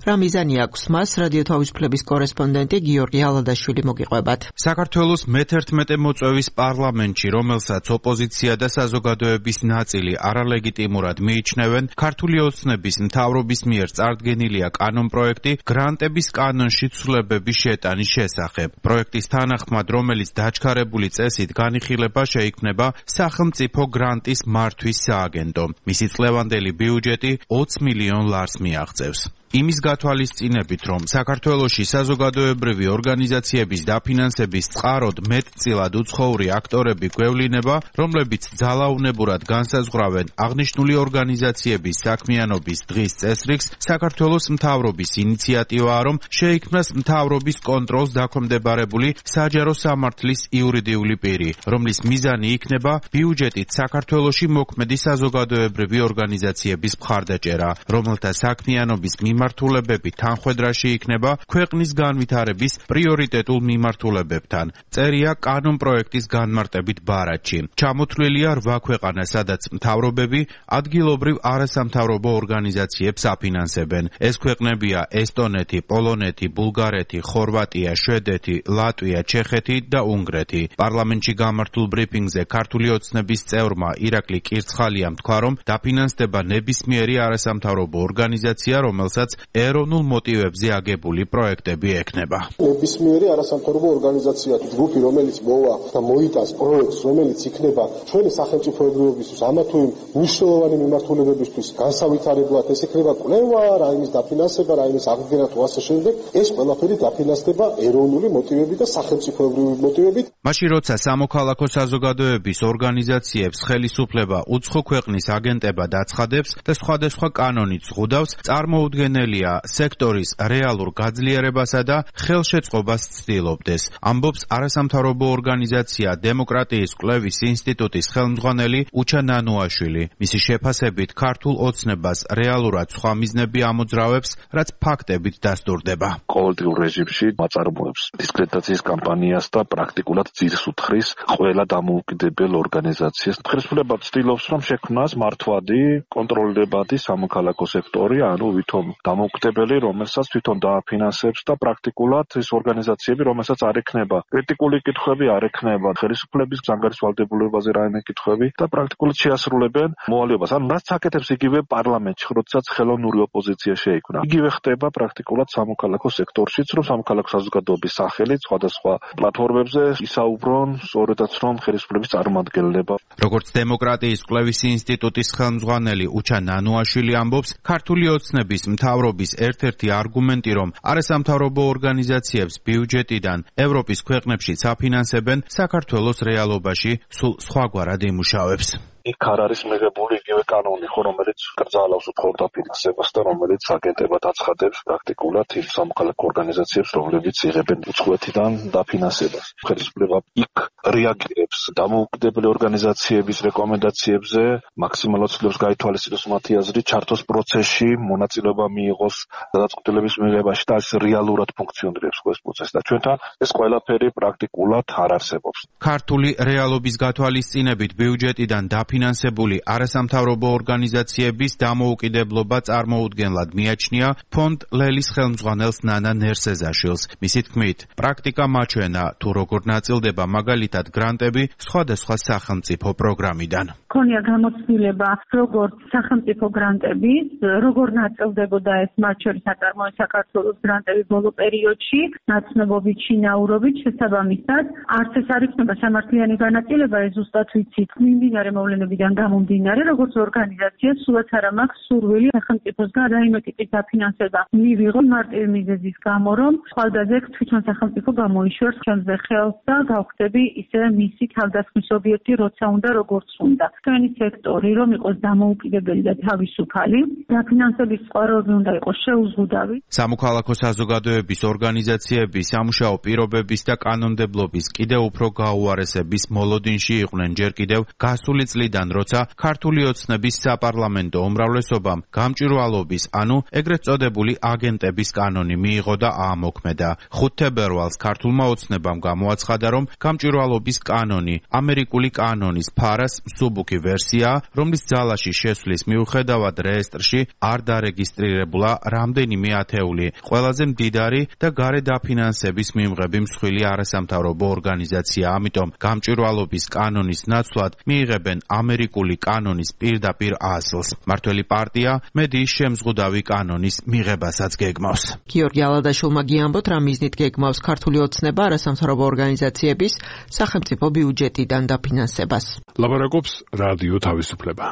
რა მიზანი აქვს მას, რადიო თავისუფლების კორესპონდენტი გიორგი ალადაშვილი მოგიყვებათ. საქართველოს მე-11 მოწვევის პარლამენტში, რომელსაც ოპოზიცია და საზოგადოების ნაწილი არალეგიტიმურად მიიჩნევენ, ქართული ოცნების მთავრობის მიერ წარდგენილია კანონპროექტი გრანტების კანონში ცვლილებების შეტანის შესახებ. პროექტის თანახმად, რომელიც დაჩქარებული წესით განიხილება შეიქმნება სახელმწიფო გრანტის მართვის სააგენტო. მისი წლევანდელი ბიუჯეტი 20 მილიონ ლარს მიაღწევს. იმის გათვალისწინებით, რომ საქართველოში საზოგადოებრივი ორგანიზაციების დაფინანსების წყაროდ მეტწილად უცხოური აქტორები გვევლინება, რომლებიც ძალაუნებურად განსაზღვრავენ აღნიშნული ორგანიზაციების საქმიანობის დღის წესრიგს, საქართველოს მთავრობის ინიციატივაა, რომ შეიქმნას მთავრობის კონტროლს დაქვემდებარებული საჯარო სამართლის იურიდიული პირი, რომლის მიზანი იქნება ბიუჯეტით საქართველოში მოქმედი საზოგადოებრივი ორგანიზაციების მხარდაჭერა, რომელთა საქმიანობის მიმართულებები თანხვედრაში იქნება ქვეყნის განვითარების პრიორიტეტულ მიმართულებებთან. წერია კანონპროექტის განმარტებით ბარათში. ჩამოთვლილია 8 ქვეყანა, სადაც მთავრობები ადგილობრივ არასამთავრობო ორგანიზაციებს აფინანსებენ. ეს ქვეყნებია ესტონეთი, პოლონეთი, ბულგარეთი, ხორვატია, შვედეთი, ლატვია, ჩეხეთი და უნგრეთი. პარლამენტში გამართულ ბრიფინგზე ქართული ოცნების წევრმა ირაკლი კირცხალიამ თქვა, რომ დაფინანსდება ნებისმიერი არასამთავრობო ორგანიზაცია, რომელსაც ეროვნულ მოტივებზე აგებული პროექტები ექნება. ნებისმიერი არასამთავრობო ორგანიზაცია, ჯგუფი, რომელიც მოვა და მოიტანს პროექტს, რომელიც იქნება ჩვენი სახელმწიფოებრიობისთვის ამა თუ იმ მნიშვნელოვანი მიმართულებებისთვის განსავითარებლად, ეს იქნება კვლევა, რაიმის დაფინანსება, რაიმის აღდგენა თუ ასე შემდეგ, ეს ყველაფერი დაფინანსდება ეროვნული მოტივებით და სახელმწიფოებრივი მოტივებით. მაშინ როცა სამოქალაქო საზოგადოების ორგანიზაციებს ხელისუფლება უცხო ქვეყნის აგენტებად აცხადებს და სხვადასხვა კანონით ზღუდავს, წარმოუდგენელია სექტორის რეალურ გაძლიერებასა და ხელშეწყობას ცდილობდეს. ამბობს არასამთავრობო ორგანიზაცია დემოკრატიის კვლევის ინსტიტუტის ხელმძღვანელი უჩა ნანუაშვილი. მისი შეფასებით ქართულ ოცნებას რეალურად სხვა მიზნები ამოძრავებს, რაც ფაქტებით დასტურდება. ყოველდღიურ რეჟიმში მაწარმოებს დისკრედიტაციის კამპანიას და პრაქტიკულად ძირს უთხრის ყველა დამოუკიდებელ ორგანიზაციას. ხელისუფლება ცდილობს, რომ შექმნას მართვადი, კონტროლირებადი სამოქალაქო სექტორი, ანუ ვითომ დამოუკიდებელი, რომელსაც თვითონ დააფინანსებს და პრაქტიკულად ეს ორგანიზაციები, რომელსაც არ ექნება კრიტიკული კითხვები, არ ექნება ხელისუფლების ზანგარის ვალდებულებაზე რაიმე კითხვები და პრაქტიკულად შეასრულებენ მოვალეობას. ანუ რაც აკეთებს იგივე პარლამენტში, როდესაც ხელოვნური ოპოზიცია შეიქმნა. იგივე ხდება პრაქტიკულად სამოქალაქო სექტორშიც, რომ სამოქალაქო საზოგადოების სახელით სხვადასხვა პლატფორმებზე ისაუბრონ სწორედაც რომ ხელისუფლების წარმომადგენლება. როგორც დემოკრატიის კვლევის ინსტიტუტის ხელმძღვანელი უჩა ნანუაშვილი ამბობს, ქართული ოცნების მთავრობის ერთ-ერთი არგუმენტი, რომ არასამთავრობო ორგანიზაციებს ბიუჯეტიდან ევროპის ქვეყნებში საფინანსებენ, საქართველოს რეალობაში სულ სხვაგვარად იმუშავებს. იქ არ არის მიღებული იგივე კანონი, რომელიც კრძალავს უფრო დაფინანსებას და რომელიც აგენტებად აცხადებს პრაქტიკულად იმ სამოქალაქო ორგანიზაციებს, რომლებიც იღებენ უცხოეთიდან დაფინანსებას. ხელისუფლება იქ რეაგირებს დამოუკიდებელი ორგანიზაციების რეკომენდაციებზე, მაქსიმალურად ცდილობს გაითვალისწინოს მათი აზრი, ჩართოს პროცესში, მონაწილეობა მიიღოს გადაწყვეტილების მიღებაში და რეალურად ფუნქციონირებს ეს პროცესი და ჩვენთან ეს ყველაფერი პრაქტიკულად არ არსებობს. ქართული რეალობის გათვალისწინებით ბიუჯეტიდან დაფინანსებული არასამთავრობო ორგანიზაციების დამოუკიდებლობა წარმოუდგენლად მიაჩნია ფონდ ლელის ხელმძღვანელს ნანა ნერსეზაშვილს. მისი თქმით, პრაქტიკა მაჩვენა თუ როგორ ნაწილდება მაგალითად გრანტები სხვადასხვა სახელმწიფო პროგრამიდან. ქონია გამოცდილება როგორც სახელმწიფო გრანტების, როგორ ნაწილდებოდა ეს მათ შორის აწარმოეს საქართველოს გრანტები ბოლო პერიოდში, ნაცნობობით, შინაურობით, შესაბამისად, არც ეს არ იქნება სამართლიანი განაწილება, ეს ზუსტად ვიცით, მიმდინარე მოვლენებიდან გამომდინარე, როგორც ორგანიზაცია, სულაც არ მაქვს სურვილი სახელმწიფოსგან რაიმე ტიპის დაფინანსება მივიღო მარტივი მიზეზის გამო, რომ ხვალდაზე თვითონ სახელმწიფო გამოიშვერს ჩემზე ხელს და გავხდები ისე მისი თავდასხმის ობიექტი, როცა უნდა, როგორც უნდა. ჩვენი სექტორი რომ იყოს დამოუკიდებელი და თავისუფალი, დაფინანსების წყაროები უნდა იყოს შეუზღუდავი. სამოქალაქო საზოგადოების ორგანიზაციები სამუშაო პირობების და კანონმდებლობის კიდევ უფრო გაუარესების მოლოდინში იყვნენ ჯერ კიდევ გასული წლიდან, როცა ქართული ოცნების საპარლამენტო უმრავლესობამ გამჭვირვალობის, ანუ ეგრეთ წოდებული აგენტების კანონი მიიღო და აამოქმედა. 5 თებერვალს ქართულმა ოცნებამ გამოაცხადა, რომ გამჭვირვალობის კანონი ამერიკული კანონის ფარას მსუბუქი ვერსიაა, რომლის ძალაში შესვლის მიუხედავად რეესტრში არ დარეგისტრირებულა რამდენიმე ათეული ყველაზე მდიდარი და გარე დაფინანსების მიმღები მსხვილი არასამთავრობო ორგანიზაცია. ამიტომ გამჭვირვალობის კანონის ნაცვლად მიიღებენ ამერიკული კანონის პირდაპირ ასლს. მართველი პარტია მედიის შემზღუდავი კანონის მიღებასაც გეგმავს. გიორგი ალადაშვილმა გიამბოთ, რა მიზნით გეგმავს ქართული ოცნება არასამთავრობო ორგანიზაციების სახელმწიფო ბიუჯეტიდან დაფინანსებას. ლაპარაკობს რადიო თავისუფლება.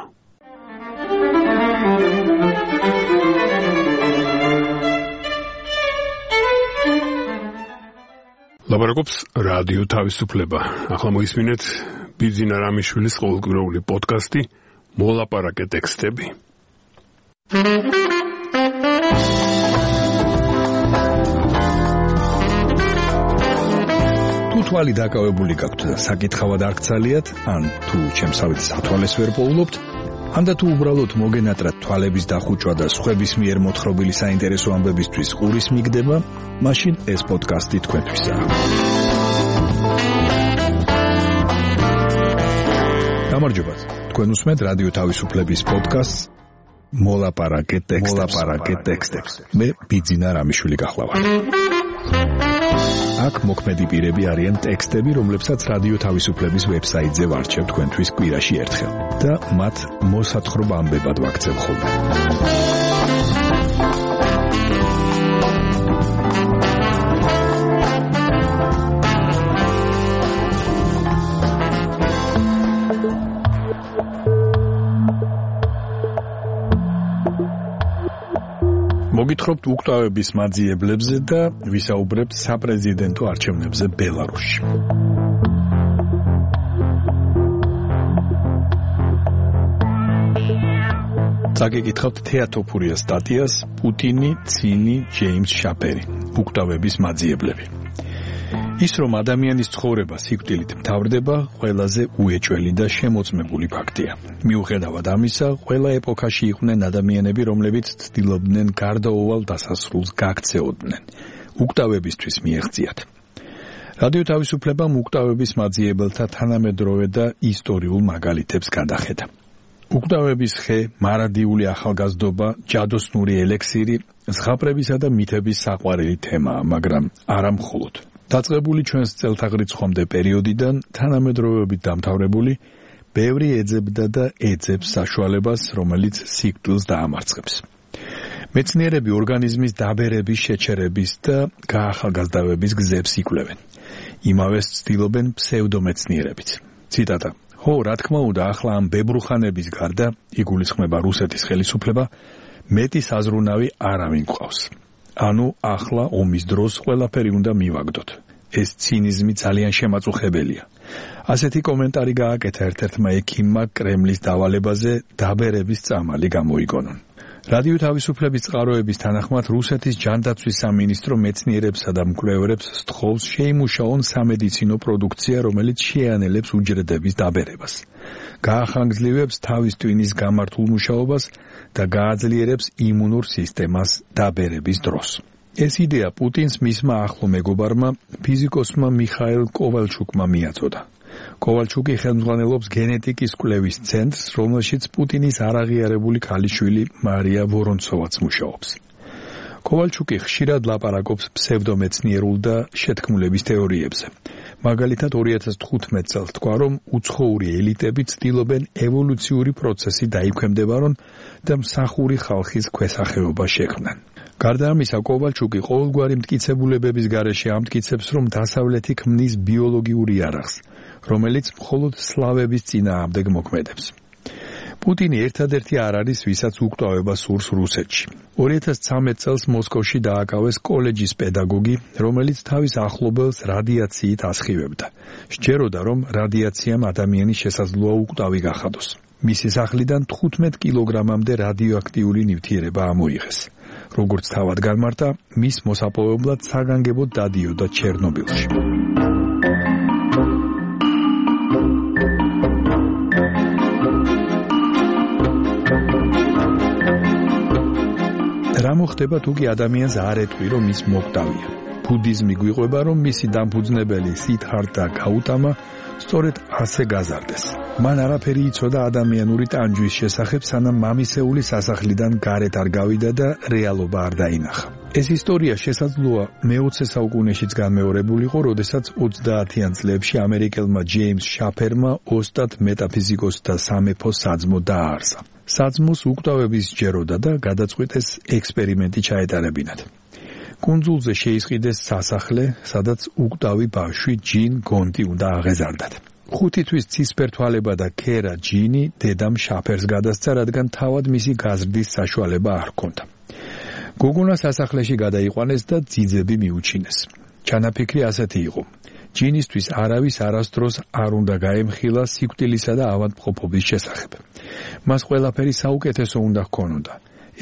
ლაპარაკობს რადიო თავისუფლება. ახლა მოისმინეთ ბიძინა რამიშვილის ყოველკვირეული პოდკასტი მოლაპარაკე ტექსტები. თუ თვალი დაკავებული გაქვთ და საკითხავად არ გცალიათ, ან თუ ჩემსავით სათვალეს ვერ პოულობთ, ან და თუ უბრალოდ მოგენატრათ თვალების დახუჭვა და სხვების მიერ მოთხრობილი საინტერესო ამბებისთვის ყურის მიგდება, მაშინ ეს პოდკასტი თქვენთვისაა. გამარჯობათ. თქვენ უსმენთ რადიო თავისუფლების პოდკასტს მოლაპარაკე ტექსტებს. მე ბიძინა რამიშვილი გახლავართ. აქ მოქმედი პირები არიან ტექსტები, რომლებსაც რადიო თავისუფლების ვებსაიტზე ვარჩევ თქვენთვის კვირაში ერთხელ და მათ მოსათხრობ ამბებად ვაქცევ ხოლმე. მოგითხრობთ უკვდავების მაძიებლებზე და ვისაუბრებთ საპრეზიდენტო არჩევნებზე ბელარუსში. წაგეკითხავთ თეატოფურია სტატიას პუტინი, ცინი, ჯეიმს შაპერი, უკვდავების მაძიებლები. ის რომ ადამიანის ცხოვრება სიკვდილით მთავრდება, ყველაზე უეჭველი და შემოწმებული ფაქტია. მიუხედავად ამისა, ყველა ეპოქაში იყვნენ ადამიანები, რომლებიც ცდილობდნენ გარდაუვალ დასასრულს გაქცეოდნენ. უკვდავებისთვის მიეღწიათ. რადიო თავისუფლებამ უკვდავების მაძიებელთა თანამედროვე და ისტორიულ მაგალითებს გადახედა. უკვდავების ხე, მარადიული ახალგაზრდობა, ჯადოსნური ელექსირი, ზღაპრებისა და მითების საყვარელი თემაა, მაგრამ არა მხოლოდ. დაწყებული ჩვენს წელთაღრიცხვამდე პერიოდიდან თანამედროვეობით დამთავრებული, ბევრი ეძებდა და ეძებს საშუალებას, რომელიც სიკვდილს დაამარცხებს. მეცნიერები ორგანიზმის დაბერების, შეჩერების და გაახალგაზრდავების გზებს იკვლევენ. იმავეს ცდილობენ ფსევდომეცნიერებიც. ციტატა: "ხო, რა თქმა უნდა, ახლა ამ ბებრუხანების გარდა იგულისხმება რუსეთის ხელისუფლება, მეტი საზრუნავი არავინ გვყავს. ანუ ახლა ომის დროს ყველაფერი უნდა მივაგდოთ. ეს ცინიზმი ძალიან შემაწუხებელია. ასეთი კომენტარი გააკეთა ერთ-ერთმა ექიმმა კრემლის დავალებაზე დაბერების წამალი გამოიგონონ. რადიო თავისუფლების წყაროების თანახმად რუსეთის ჯანდაცვის სამინისტრო მეცნიერებსა და მკვლევარებს სთხოვს შეიმუშაონ სამედიცინო პროდუქცია, რომელიც შეანელებს უჯრედების დაბერებას. გაახანგრძლივებს თავის ტვინის გამართულ მუშაობას და გააძლიერებს იმუნურ სისტემას დაბერების დროს. ეს იდეა პუტინს მისმა ახლო მეგობარმა ფიზიკოსმა მიხაილ კოვალჩუკმა მიაწოდა. კოვალჩუკი ხელმძღვანელობს გენეტიკის კვლევის ცენტრს, რომელშიც პუტინის არაღიარებული ქალიშვილი მარია ვორონცოვაც მუშაობს. კოვალჩუკი ხშირად ლაპარაკობს ფსევდომეცნიერულ და შეთქმულების თეორიებზე. მაგალითად 2015 წელს თქვა, რომ უცხოური ელიტები ცდილობენ ევოლუციური პროცესი დაიქვემდებარონ და მსახური ხალხის ქვესახეობა შექმნან. გარდა ამისა, კოვალჩუკი ყოველგვარი მტკიცებულებების გარეშე ამტკიცებს, რომ დასავლეთი ქმნის ბიოლოგიურ იარაღს, რომელიც მხოლოდ სლავების წინააღმდეგ მოქმედებს. პუტინი ერთადერთი არ არის, ვისაც უკვდავება სურს რუსეთში. 2013 წელს მოსკოვში დააკავეს კოლეჯის პედაგოგი, რომელიც თავის ახლობელს რადიაციით ასხივებდა. სჯეროდა, რომ რადიაციამ ადამიანის შესაძლოა უკვდავი გახადოს. მისი სახლიდან 15 კილოგრამამდე რადიოაქტიული ნივთიერება ამოიღეს. როგორც თავად განმარტა, მის მოსაპოვებლად საგანგებოდ დადიოდა ჩერნობილში. რა მოხდება თუ კი ადამიანს არ ეტყვი, რომ ის მოკვდავია? ბუდიზმი გვიყვება, რომ მისი დამფუძნებელი სიდჰარტა გაუტამა სწორედ ასე გაზარდეს. მან არაფერი იცოდა ადამიანური ტანჯვის შესახებ, სანამ მამისეული სასახლიდან გარეთ არ გავიდა და რეალობა არ დაინახა. ეს ისტორია შესაძლოა მე-20 საუკუნეშიც განმეორებულიყო, როდესაც 30-იან წლებში ამერიკელმა ჯეიმს შაფერმა ოსტატ მეტაფიზიკოსთა სამეფო საძმო დააარსა. საძმოს უკვდავების სჯეროდა და გადაწყვიტეს ექსპერიმენტი ჩაეტარებინათ. კუნძულზე შეისყიდეს სასახლე, სადაც უკვდავი ბავშვი ჯინ გონტი უნდა აღეზარდათ. 5 თვის ცისფერთვალება და ქერა ჯინი დედამ შაფერს გადასცა, რადგან თავად მისი გაზრდის საშუალება არ ჰქონდა. გოგონა სასახლეში გადაიყვანეს და ძიძები მიუჩინეს. ჩანაფიქრი ასეთი იყო. ჯინისთვის არავის არასდროს არ უნდა გაემხილა სიკვდილისა და ავადმყოფობის შესახებ. მას ყველაფერი საუკეთესო უნდა ჰქონოდა.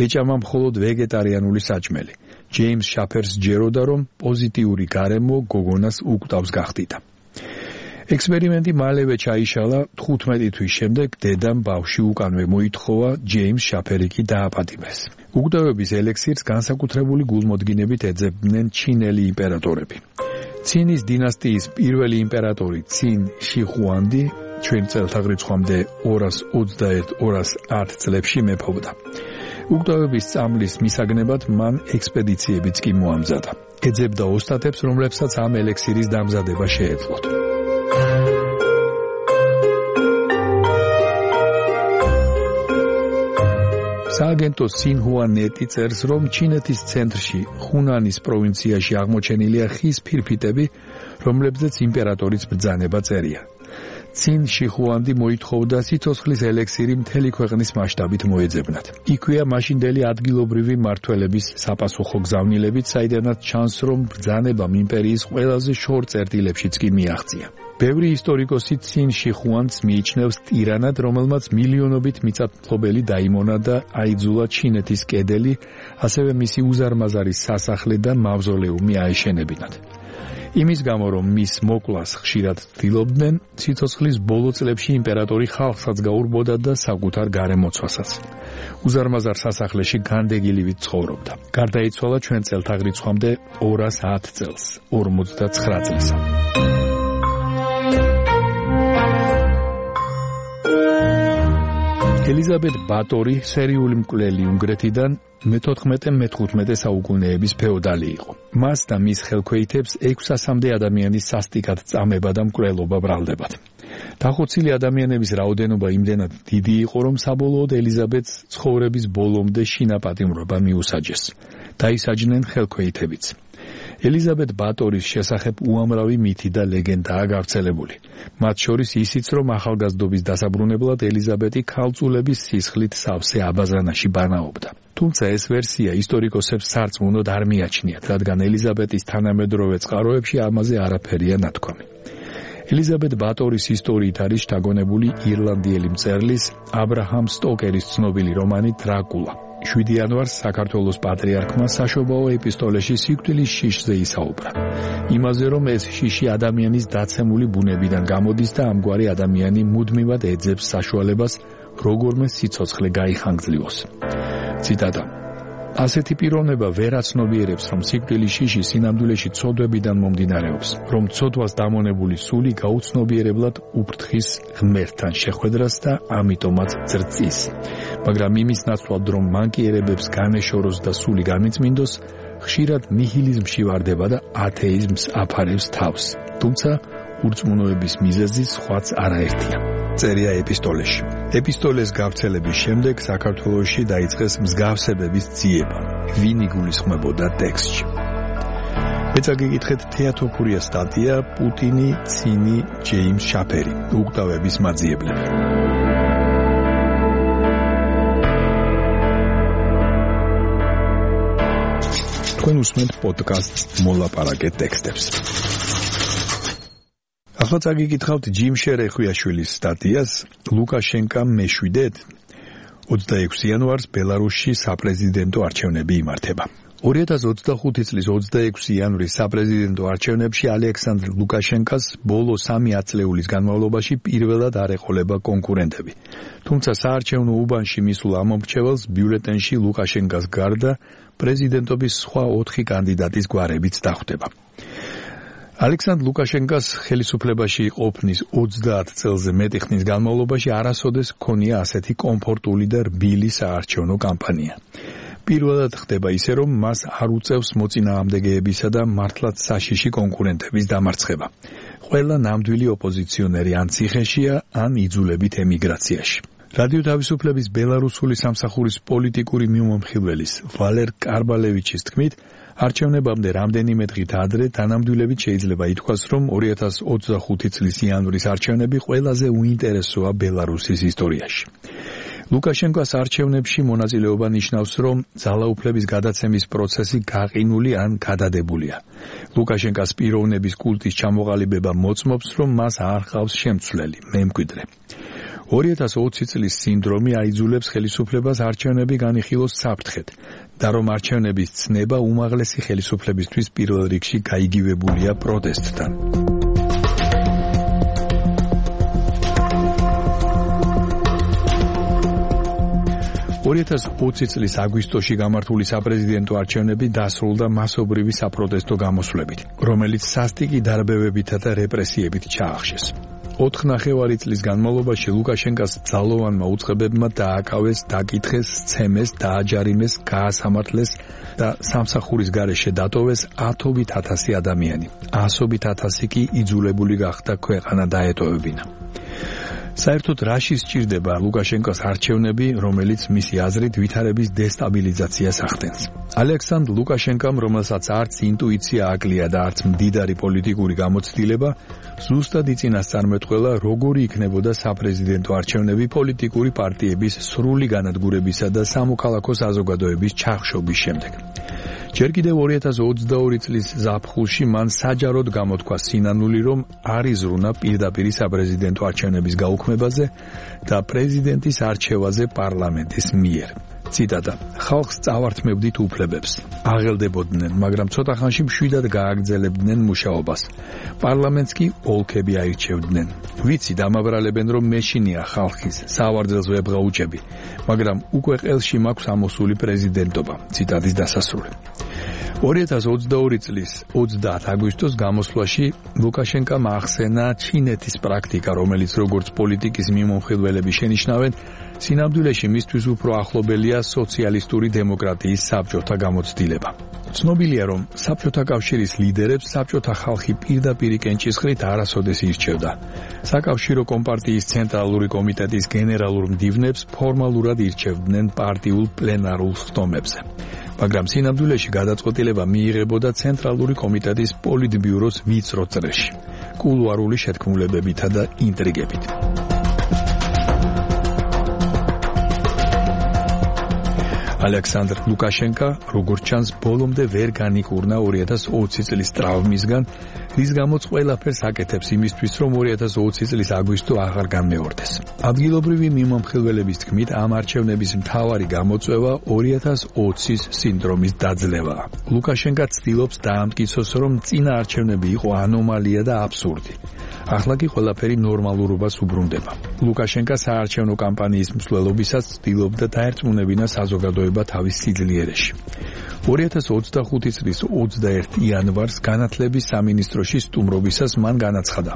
ეჭამა მხოლოდ ვეგეტარიანული საჭმელი. ჯეიმს შაფერს სჯეროდა, რომ პოზიტიური გარემო გოგონას უკვდავს გახდიდა. ექსპერიმენტი მალევე ჩაიშალა. 15 თვის შემდეგ დედამ ბავშვი უკანვე მოითხოვა, ჯეიმს შაფერი კი დააპატიმეს. უკვდავების ელექსირს განსაკუთრებული გულმოდგინებით ეძებდნენ ჩინელი იმპერატორები. ცინის დინასტიის პირველი იმპერატორი ცინ შიხუანდი ჩვენ წელთაღრიცხვამდე 221-210 წლებში მეფობდა. უკვდავების წამლის მისაგნებად მან ექსპედიციებიც კი მოამზადა. ეძებდა ოსტატებს, რომლებსაც ამ ელექსირის დამზადება შეეძლოთ. სააგენტო სინჰუა ნეტი წერს, რომ ჩინეთის ცენტრში, ხუნანის პროვინციაში აღმოჩენილია ხის ფირფიტები, რომლებზეც იმპერატორის ბრძანება წერია. ცინ შიხუანდი მოითხოვდა სიცოცხლის ელექსირი მთელი ქვეყნის მასშტაბით მოეძებნათ. იქვეა მაშინდელი ადგილობრივი მმართველების საპასუხო გზავნილებიც, საიდანაც ჩანს, რომ ბრძანებამ იმპერიის ყველაზე შორ წერტილებშიც კი მიაღწია. ბევრი ისტორიკოსი ცინ შიხუანდს მიიჩნევს ტირანად, რომელმაც მილიონობით მიწათმფლობელი დაიმონა და აიძულა ჩინეთის კედელი, ასევე მისი უზარმაზარი სასახლე და მავზოლეუმი აეშენებინათ. იმის გამო, რომ მის მოკვლას ხშირად ცდილობდნენ, სიცოცხლის ბოლო წლებში იმპერატორი ხალხსაც გაურბოდა და საკუთარ გარემოცვასაც. უზარმაზარ სასახლეში განდეგილივით ცხოვრობდა. გარდაიცვალა ჩვენ წელთაღრიცხვამდე 210 წელს, 59 წლისა. ელიზაბეთ ბატორი სერიული მკვლელი უნგრეთიდან მე-14-მე-15 საუკუნეების ფეოდალი იყო. მას და მის ხელქვეითებს 600-მდე ადამიანის სასტიკად წამება და მკვლელობა ბრალდებათ. დახოცილი ადამიანების რაოდენობა იმდენად დიდი იყო, რომ საბოლოოდ ელიზაბეთს ცხოვრების ბოლომდე შინაპატიმრობა მიუსაჯეს. დაისაჯნენ ხელქვეითებიც. ელიზაბეთ ბატორის შესახებ უამრავი მითი და ლეგენდაა გავრცელებული. მათ შორის ისიც, რომ ახალგაზრდობის დასაბრუნებლად ელიზაბეთი ქალწულების სისხლით სავსე აბაზანაში ბანაობდა. თუმცა ეს ვერსია ისტორიკოსებს სარწმუნოდ არ მიაჩნიათ, რადგან ელიზაბეტის თანამედროვე წყაროებში ამაზე არაფერია ნათქვამი. ელიზაბეტ ბატორის ისტორიით არის შთაგონებული ირლანდიელი მწერლის აბრაჰამ სტოკერის ცნობილი რომანი დრაკულა. 7 იანვარს საქართველოს პატრიარქმა საშობაო ეპისტოლეში სიკვდილის შიშზე ისაუბრა. იმაზე, რომ ეს შიში ადამიანის დაცემული ბუნებიდან გამოდის და ამგვარი ადამიანი მუდმივად ეძებს საშუალებას როგორმე სიცოცხლე გაიხანგძლიოს. ციტატა: ასეთი პიროვნება ვერ აცნობიერებს, რომ სიკვდილის შიში სინამდვილეში ცოდვებიდან მომდინარეობს, რომ ცოდვას დამონებული სული გაუცნობიერებლად უფრთხის ღმერთთან შეხვედრას და ამიტომაც ძრწის. მაგრამ იმის ნაცვლად, რომ მანკიერებებს განეშოროს და სული გამიწმინდოს, ხშირად ნიჰილიზმში ვარდება და ათეიზმს აფარებს თავს. თუმცა ურწმუნოების მიზეზი სხვაც არაერთია. წერია ეპისტოლეში. ეპისტოლეს გავრცელების შემდეგ საქართველოში დაიწყეს მსგავსებების ძიება. ვინ იგულისხმებოდა ტექსტში? მეცა გიგითხეთ თეატოფურია სტატია პუტინი, ცინი, ჯეიმს შაფერი, უკვდავების მაძიებლები. თქვენ უსმენთ პოდკასტს მოლაპარაკე ტექსტებს. ახლა წაგიკითხავთ ჯიმ შერეხვიაშვილის სტატიას ლუკაშენკამ მეშვიდეთ 26 იანვარს ბელარუსში საპრეზიდენტო არჩევნები იმართება. 2025 წლის 26 იანვრის საპრეზიდენტო არჩევნებში ალექსანდრ ლუკაშენკას ბოლო 3 ათწლეულის განმავლობაში პირველად არ ეყოლება კონკურენტები. თუმცა საარჩევნო უბანში მისულ ამომრჩეველს ბიულეტენში ლუკაშენკას გარდა პრეზიდენტობის სხვა 4 კანდიდატის გვარებიც დახვდება. ალექსანდრ ლუკაშენკას ხელისუფლებაში ყოფნის 30 წელზე მეტი ხნის განმავლობაში არასოდეს ჰქონია ასეთი კომფორტული და რბილი საარჩევნო კამპანია. პირველად ხდება ისე, რომ მას არ უწევს მოწინააღმდეგეებისა და მართლაც საშიში კონკურენტების დამარცხება. ყველა ნამდვილი ოპოზიციონერი ან ციხეშია, ან იძულებით ემიგრაციაში. რადიო თავისუფლების ბელარუსული სამსახურის პოლიტიკური მიმომხილველის ვალერ კარბალევიჩის თქმით, არჩევნებამდე რამდენიმე დღით ადრე თანამდებობით შეიძლება ითქვას, რომ 2025 წლის იანვრის არჩევნები ყველაზე უინტერესოა ბელარუსის ისტორიაში. ლუკაშენკოს არჩევნებში მონაწილეობა ნიშნავს, რომ ძალაუფლების გადაცემის პროცესი გაყინული ან გადადებულია. ლუკაშენკოს პიროვნების კულტის ჩამოყალიბება მოწმობს, რომ მას არ ჰყავს შემცვლელი, მემკვიდრე. 2020 წლის სინდრომი აიძულებს ხელისუფლებას არჩევნები განიხილოს საფრთხედ და რომ არჩევნების ცნება უმაღლესი ხელისუფლებისთვის პირველ რიგში გაიგივებულია პროტესტთან. 2020 წლის აგვისტოში გამართული საპრეზიდენტო არჩევნები დასრულდა მასობრივი საპროტესტო გამოსვლებით, რომელიც სასტიკი დარბევებითა და რეპრესიებით ჩაახშეს. 4,5 წლის განმავლობაში ლუკაშენკას ძალოვანმა უწყებებმა დააკავეს, დაკითხეს, სცემეს, დააჯარიმეს, გაასამართლეს და სამსახურის გარეშე დატოვეს 10,000 ადამიანი. 100,000 კი იძულებული გახდა ქვეყანა დაეტოვებინა. საერთოდ რაში სჭირდება ლუკაშენკოს არჩევნები, რომელიც მისი აზრით ვითარების დესტაბილიზაციას ახდენს. ალექსანდრ ლუკაშენკამ, რომელსაც არც ინტუიცია აკლია და არც მდიდარი პოლიტიკური გამოცდილება, ზუსტად იწინასწარმეტყველა, როგორი იქნებოდა საპრეზიდენტო არჩევნები პოლიტიკური პარტიების სრული განადგურებისა და სამოქალაქო საზოგადოების ჩახშობის შემდეგ. ჯერ კიდევ 2022 წლის ზაფხულში მან საჯაროდ გამოთქვა სინანული, რომ არ იზრუნა პირდაპირ საპრეზიდენტო არჩევნების გაუქმებაზე და პრეზიდენტის არჩევაზე პარლამენტის მიერ. ციტატა: ხალხს წავართმევდით უფლებებს, აღელდებოდნენ, მაგრამ ცოტა ხანში მშვიდად გააგრძელებდნენ მუშაობას. პარლამენტს კი ოლქები აირჩევდნენ. ვიცი, დამაბრალებენ, რომ მეშინია ხალხის, სავარძელს ვებღაუჭები, მაგრამ უკვე ყელში მაქვს ამოსული პრეზიდენტობა. ციტატის დასასრული. 2022 წლის 30 აგვისტოს გამოსვლაში ლუკაშენკამ ახსენა ჩინეთის პრაქტიკა, რომელიც როგორც პოლიტიკის მიმომხილველები შენიშნავენ, სინამდვილეში მისთვის უფრო ახლობელია სოციალისტური დემოკრატიის საბჭოთა გამოცდილება. ცნობილია, რომ საბჭოთა კავშირის ლიდერებს საბჭოთა ხალხი პირდაპირ კენჭისყრით არასოდეს ირჩევდა. საკავშირო კომპარტიის ცენტრალური კომიტეტის გენერალურ მდივნებს ფორმალურად ირჩევდნენ პარტიულ პლენარულ ხდომებზე. მაგრამ სინამდვილეში გადაწყვეტილება მიიღებოდა ცენტრალური კომიტეტის პოლიტბიუროს ვიწრო წრეში, კულუარული შეთქმულებებითა და ინტრიგებით. ალექსანდრ ლუკაშენკა, როგორც ჩანს, ბოლომდე ვერ განიკურნა 2020 წლის ტრავმისგან, რის გამოც ყველაფერს აკეთებს იმისთვის, რომ 2020 წლის აგვისტო აღარ განმეორდეს. ადგილობრივი მიმომხილველების თქმით, ამ არჩევნების მთავარი გამოწვევა 2020-ის სინდრომის დაძლევაა. ლუკაშენკა ცდილობს დაამტკიცოს, რომ წინა არჩევნები იყო ანომალია და აბსურდი. ახლა კი ყველაფერი ნორმალურობას უბრუნდება. ლუკაშენკა საარჩევნო კამპანიის მსვლელობისას ცდილობდა დაერწმუნებინა საზოგადოება თავის სიძლიერეში. 2025 წლის 21 იანვარს განათლების სამინისტროში სტუმრობისას მან განაცხადა: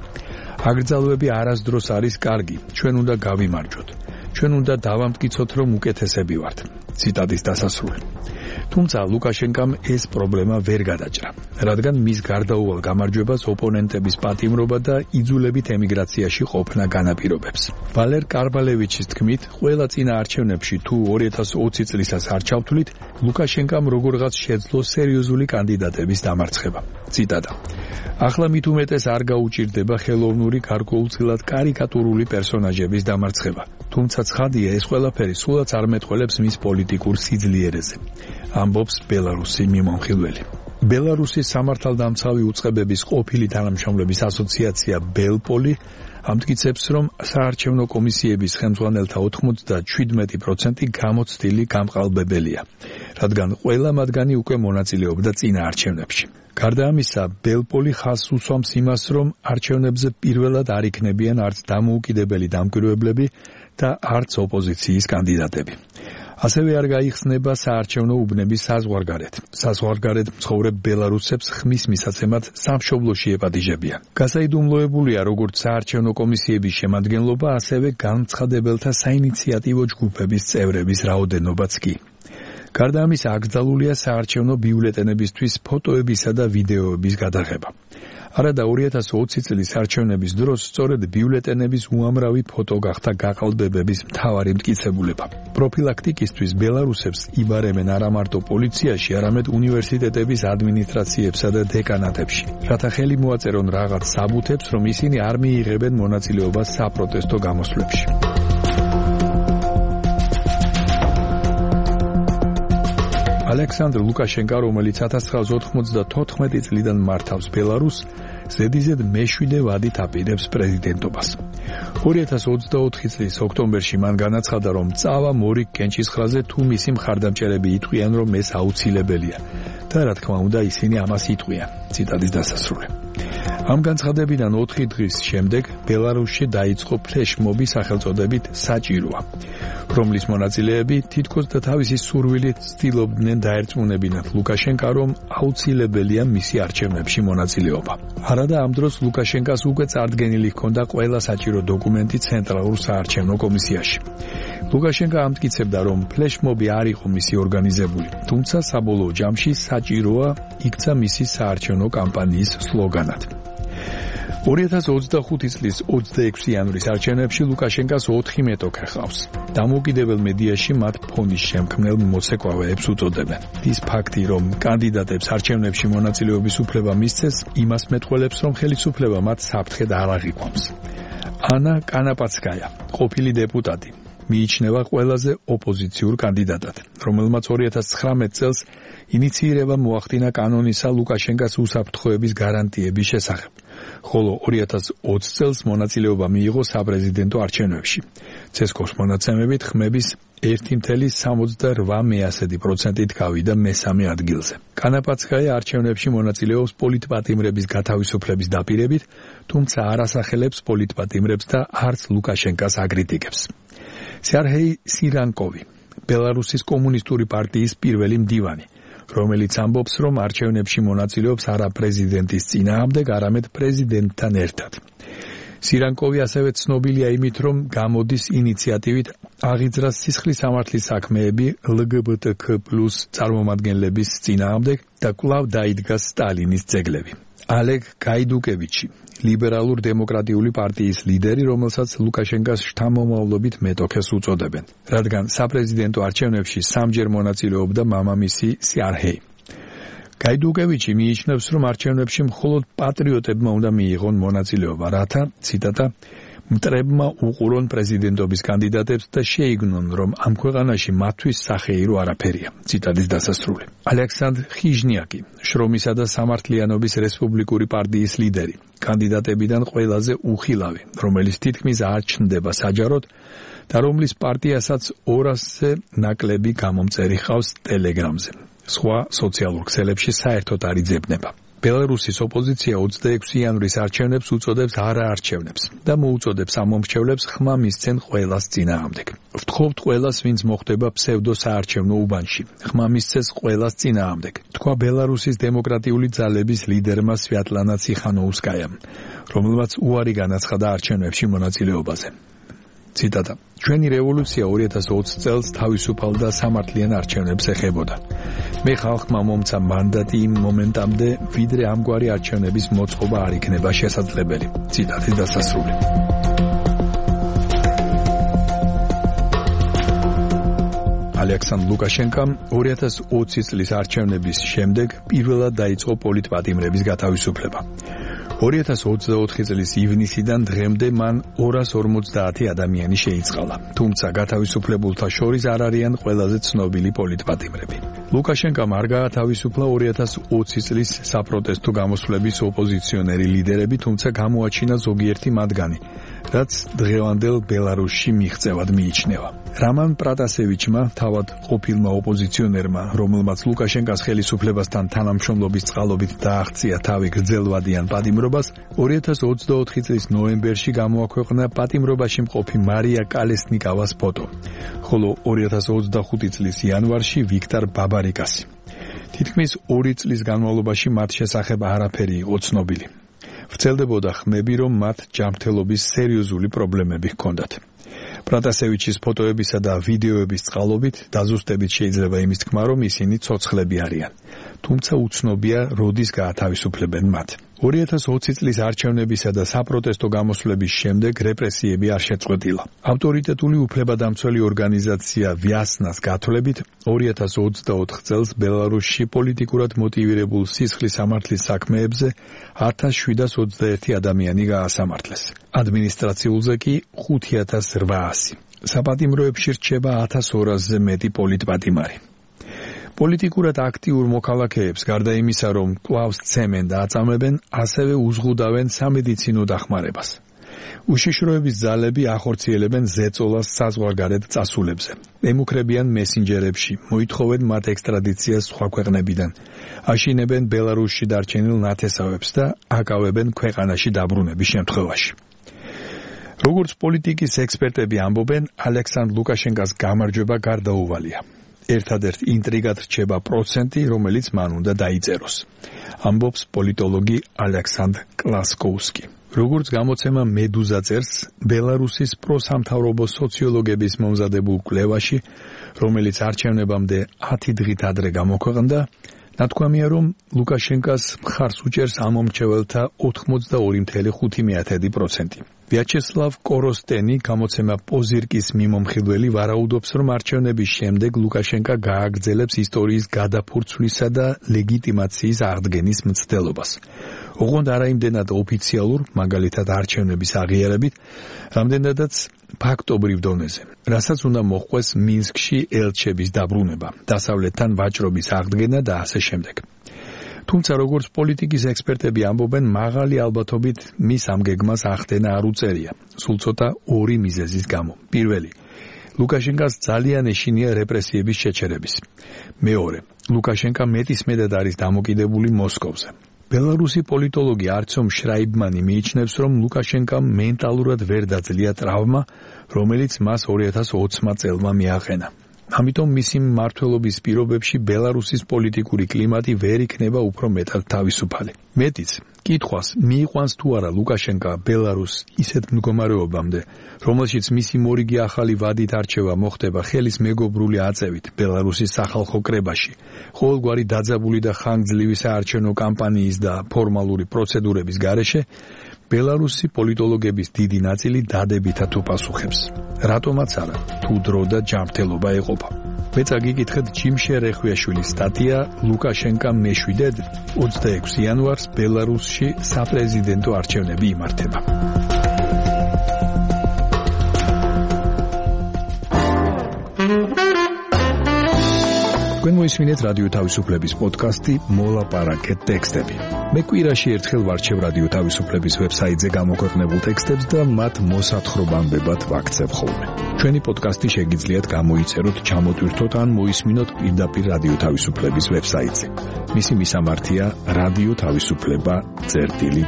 „აგრძალვები არასდროს არის კარგი, ჩვენ უნდა გავიმარჯვოთ. ჩვენ უნდა დავამტკიცოთ, რომ უკეთესები ვართ“. ციტატის დასასრული. თუმცა ლუკაშენკამ ეს პრობლემა ვერ გადაჭრა, რადგან მის გარდაუვალ გამარჯვებას ოპონენტების პატიმრობა და იძულებით ემიგრაციაში ყოფნა განაპირობებს. ვალერ კარბალევიჩის თქმით, ყველა წინა არჩევნებში თუ 2020 წლისას არ ჩავთვლით, ლუკაშენკამ როგორღაც შეძლო სერიოზული კანდიდატების დამარცხება. ციტატა: „ახლა მით უმეტეს არ გაუჭირდება ხელოვნური გარკვეულწილად კარიკატურული პერსონაჟების დამარცხება. თუმცა ცხადია, ეს ყველაფერი სულაც არ მეტყველებს მის პოლიტიკურ სიძლიერეზე“, ამბობს ბელარუსი მიმომხილველი. ბელარუსის სამართალდამცავი უწყებების ყოფილი თანამშრომლების ასოციაცია ბელპოლი ამტკიცებს, რომ საარჩევნო კომისიების ხელმძღვანელთა 97% გამოცდილი გამყალბებელია, რადგან ყველა მათგანი უკვე მონაწილეობდა წინა არჩევნებში. გარდა ამისა, ბელპოლი ხაზს უსვამს იმას, რომ არჩევნებზე პირველად არ იქნებიან არც დამოუკიდებელი დამკვირვებლები და არც ოპოზიციის კანდიდატები. ასევე არ გაიხსნება საარჩევნო უბნების საზღვარგარეთ. საზღვარგარეთ მცხოვრებ ბელარუსებს ხმის მისაცემად სამშობლოში ეპატიჟებიან. გასაიდუმლოებულია როგორც საარჩევნო კომისიების შემადგენლობა, ასევე განცხადებელთა საინიციატივო ჯგუფების წევრების რაოდენობაც კი. გარდა ამისა, აკრძალულია საარჩევნო ბიულეტენებისთვის ფოტოებისა და ვიდეოების გადაღება. არადა 2020 წლის არჩევნების დროს სწორედ ბიულეტენების უამრავი ფოტო გახდა გაყალბებების მთავარი მტკიცებულება. პროფილაქტიკისთვის ბელარუსებს იბარემენ არა მარტო პოლიციაში, არამედ უნივერსიტეტების ადმინისტრაციებსა და დეკანატებში, რათა ხელი მოაწერონ რაღაც საბუთებს, რომ ისინი არ მიიღებენ მონაწილეობას საპროტესტო გამოსვლებში. ალექსანდრ ლუკაშენკა, რომელიც 1994 წლიდან მართავს ბელარუსს, ზედიზედ მე-7 ვადით აპირებს პრეზიდენტობას. 2024 წლის ოქტომბერში მან განაცხადა, რომ წავა მორიგ კენჭისხრაზე თუ მისი მხარდამჭერები იტყვიან, რომ ეს აუცილებელია და რა თქმა უნდა ისინი ამას იტყვიან. ციტატის დასასრული. ამ განცხადებიდან 4 დღის შემდეგ ბელარუსში დაიწყო ფლეშმობი სახელწოდებით საჭიროა, რომლის მონაწილეები თითქოს და თავისი სურვილით ცდილობდნენ დაერწმუნებინათ ლუკაშენკა, რომ აუცილებელია მისი არჩევნებში მონაწილეობა. არადა ამ დროს ლუკაშენკას უკვე წარდგენილი ჰქონდა ყველა საჭირო დოკუმენტი ცენტრალურ საარჩევნო კომისიაში. ლუკაშენკა ამტკიცებდა, რომ ფლეშმობი არ იყო მისი ორგანიზებული, თუმცა საბოლოო ჯამში საჭიროა იქცა მისი საარჩევნო კამპანიის სლოგანად. 2025 წლის 26 იანვრის არჩევნებში ლუკაშენკას 4 მეტოქე ჰყავს. დამოუკიდებელ მედიაში მათ ფონის შემქმნელ მოცეკვავეებს უწოდებენ. ის ფაქტი, რომ კანდიდატებს არჩევნებში მონაწილეობის უფლება მისცეს, იმას მეტყველებს, რომ ხელისუფლება მათ საფრთხედ არ აღიქვამს. ანა კანაპაცკაია, ყოფილი დეპუტატი, მიიჩნევა ყველაზე ოპოზიციურ კანდიდატად, რომელმაც 2019 წელს ინიცირება მოახდინა კანონისა ლუკაშენკას უსაფრთხოების გარანტიების შესახებ, ხოლო 2020 წელს მონაწილეობა მიიღო საპრეზიდენტო არჩევნებში. ცესკოს მონაცემებით ხმების 1,78%-ით გავიდა მესამე ადგილზე. კანაპაცკაია არჩევნებში მონაწილეობს პოლიტპატიმრების გათავისუფლების დაპირებით, თუმცა არ ასახელებს პოლიტპატიმრებს და არც ლუკაშენკას აკრიტიკებს. სერგეი სირანკოვი, ბელარუსის კომუნისტური პარტიის პირველი მდივანი, რომელიც ამბობს, რომ არჩევნებში მონაწილეობს არა პრეზიდენტის წინააღმდეგ, არამედ პრეზიდენტთან ერთად. სირანკოვი ასევე ცნობილია იმით, რომ გამოდის ინიციატივით აღიძრა სისხლის სამართლის საქმეები LGBTQ+ წარმომადგენლების წინააღმდეგ და კვლავ დაიდგა სტალინის ძეგლები. ალეგ გაიდუკევიჩი, ლიბერალურ დემოკრატიული პარტიის ლიდერი, რომელსაც ლუკაშენკას შთამომავლობით მეტოქეს უწოდებენ, რადგან საპრეზიდენტო არჩევნებში სამჯერ მონაწილეობდა მამამისი სერგეი. გაიდუკევიჩი მიიჩნევს, რომ არჩევნებში მხოლოდ პატრიოტებმა უნდა მიიღონ მონაწილეობა, რათა, ციტატა, მტრებმა უყურონ პრეზიდენტობის კანდიდატებს და შეიგნონ, რომ ამ ქვეყანაში მათთვის სახეირო არაფერია. ციტატის დასასრული. ალექსანდრ ხიჟნიაკი, შრომისა და სამართლიანობის რესპუბლიკური პარტიის ლიდერი, კანდიდატებიდან ყველაზე უხილავი, რომელიც თითქმის არ ჩნდება საჯაროდ და რომლის პარტიასაც 200-ზე ნაკლები გამომწერი ჰყავს ტელეგრამზე. სხვა სოციალურ ქსელებში საერთოდ არ იძებნება. ბელარუსის ოპოზიცია 26 იანვრის არჩევნებს უწოდებს არაარჩევნებს და მოუწოდებს ამ მომრჩევლებს ხმა მისცენ ყველას წინააღმდეგ. ვთხოვთ ყველას, ვინც მოხდება ფსევდო-საარჩევნო უბანში, ხმა მისცეს ყველას წინააღმდეგ, თქვა ბელარუსის დემოკრატიული ძალების ლიდერმა სვიატლანა ციხანოუსკაიამ, რომელმაც უარი განაცხადა არჩევნებში მონაწილეობაზე. ციტატა: ჩვენი რევოლუცია 2020 წელს თავისუფალ და სამართლიან არჩევნებს ეხებოდა. მე ხალხმა მომცა მანდატი იმ მომენტამდე, ვიდრე ამგვარი არჩევნების მოწყობა არ იქნება შესაძლებელი. ციტატის დასასრული. ალექსანდრ ლუკაშენკამ 2020 წლის არჩევნების შემდეგ პირველად დაიწყო პოლიტპატიმრების გათავისუფლება. 2024 წლის ივნისიდან დღემდე მან 250 ადამიანი შეიწყალა, თუმცა გათავისუფლებულთა შორის არ არიან ყველაზე ცნობილი პოლიტპატიმრები. ლუკაშენკამ არ გაათავისუფლა 2020 წლის საპროტესტო გამოსვლების ოპოზიციონერი ლიდერები, თუმცა გამოაჩინა ზოგიერთი მათგანი, რაც დღევანდელ ბელარუსში მიღწევად მიიჩნევა. რამან პრატასევიჩმა, თავად ყოფილმა ოპოზიციონერმა, რომელმაც ლუკაშენკას ხელისუფლებასთან თანამშრომლობის წყალობით დააღწია თავი გრძელვადიან პატიმრობას, 2024 წლის ნოემბერში გამოაქვეყნა პატიმრობაში მყოფი მარია კალესნიკავას ფოტო, ხოლო 2025 წლის იანვარში ვიქტორ ბაბარიკასი. თითქმის 2 წლის განმავლობაში მათ შესახებ არაფერი იყო ცნობილი. ვრცელდებოდა ხმები, რომ მათ ჯანმრთელობის სერიოზული პრობლემები ჰქონდათ. პრატასევიჩის ფოტოებისა და ვიდეოების წყალობით დაზუსტებით შეიძლება იმის თქმა, რომ ისინი ცოცხლები არიან. თუმცა უცნობია, როდის გაათავისუფლებენ მათ. 2020 წლის არჩევნებისა და საპროტესტო გამოსვლების შემდეგ რეპრესიები არ შეწყვეტილა. ავტორიტეტული უფლებადამცველი ორგანიზაცია ვიასნას გათვლებით, 2024 წელს ბელარუსში პოლიტიკურად მოტივირებულ სისხლის სამართლის საქმეებზე 1721 ადამიანი გაასამართლეს. ადმინისტრაციულზე კი 5800. საპატიმროებში რჩება 1200-ზე მეტი პოლიტპატიმარი. პოლიტიკურად აქტიურ მოქალაქეებს გარდა იმისა, რომ კვლავ სცემენ და აწამებენ, ასევე უზღუდავენ სამედიცინო დახმარებას. უშიშროების ძალები ახორციელებენ ზეწოლას საზღვარგარეთ წასულებზე. ემუქრებიან მესენჯერებში, მოითხოვენ მათ ექსტრადიციას სხვა ქვეყნებიდან. აშინებენ ბელარუსში დარჩენილ ნათესავებს და აკავებენ ქვეყანაში დაბრუნების შემთხვევაში. როგორც პოლიტიკის ექსპერტები ამბობენ, ალექსანდრ ლუკაშენკას გამარჯვება გარდაუვალია. ერთადერთ ინტრიგად რჩება პროცენტი, რომელიც მან უნდა დაიწეროს. ამბობს პოლიტოლოგი ალექსანდრ კლასკოვსკი. როგორც გამოცემა მედუზა წერს, ბელარუსის პროსამთავრობო სოციოლოგების მომზადებულ კვლევაში, რომელიც არჩევნებამდე 10 დღით ადრე გამოქვეყნდა, ნათქვამია, რომ ლუკაშენკას მხარს უჭერს ამ მომრჩეველთა 82.5%. ვიაჩესლავ კოროსტენი, გამოცემა პოზირკის მიმომხილველი, ვარაუდობს, რომ არჩევნების შემდეგ ლუკაშენკა გააგრძელებს ისტორიის გადაფურცვლისა და ლეგიტიმაციის აღდგენის მცდელობას. ოღონდ არა იმდენად ოფიციალურ, მაგალითად არჩევნების აღიარებით, რამდენადაც ფაქტობრივ დონეზე, რასაც უნდა მოჰყვეს მინსკში ელჩების დაბრუნება, დასავლეთთან ვაჭრობის აღდგენა და ასე შემდეგ. თუმცა როგორც პოლიტიკის ექსპერტები ამბობენ, მაღალი ალბათობით მის ამ გეგმას ახდენა არ უწერია, სულ ცოტა ორი მიზეზის გამო. პირველი, ლუკაშენკას ძალიან ეშინია რეპრესიების შეჩერების. მეორე, ლუკაშენკა მეტისმეტად არის დამოკიდებული მოსკოვზე. ბელარუსი პოლიტოლოგი არცომ შრაიბმანი მიიჩნევს, რომ ლუკაშენკამ მენტალურად ვერ დაძლია ტრავმა, რომელიც მას 2020 წელმა მიაყენა. ამიტომ მისი მმართველობის პირობებში ბელარუსის პოლიტიკური კლიმატი ვერ იქნება უფრო მეტად თავისუფალი. მეტიც, კითხვას მიიყვანს თუ არა ლუკაშენკა ბელარუსს ისეთ მდგომარეობამდე, რომელშიც მისი მორიგი ახალი ვადით არჩევა მოხდება ხელის მეგობრული აწევით ბელარუსის სახალხო კრებაში, ყოველგვარი დაძაბული და ხანგრძლივი საარჩევნო კამპანიის და ფორმალური პროცედურების გარეშე, ბელარუსი პოლიტოლოგების დიდი ნაწილი დადებითად უპასუხებს. რატომაც არა, თუ დრო და ჯანმრთელობა ეყოფა. მეცა გიკითხეთ ჯიმშე რეხვიაშვილის სტატია ლუკაშენკა მეშვიდედ 26 იანვარს ბელარუსში საპრეზიდენტო არჩევნები იმართება. თქვენ მოისმინეთ რადიო თავისუფლების პოდკასტი მოლაპარაკეთ ტექსტები. მე კვირაში ერთხელ ვარჩევ რადიო თავისუფლების ვებსაიტზე გამოქვეყნებულ ტექსტებს და მათ მოსათხრობამდე ვაქცევ ხოლმე. ჩვენი პოდკასტი შეგიძლიათ გამოიწეროთ, ჩამოტვირთოთ ან მოისმინოთ პირდაპირ რადიო თავისუფლების ვებსაიტზე. მისი მისამართია რადიო თავისუფლება.ge.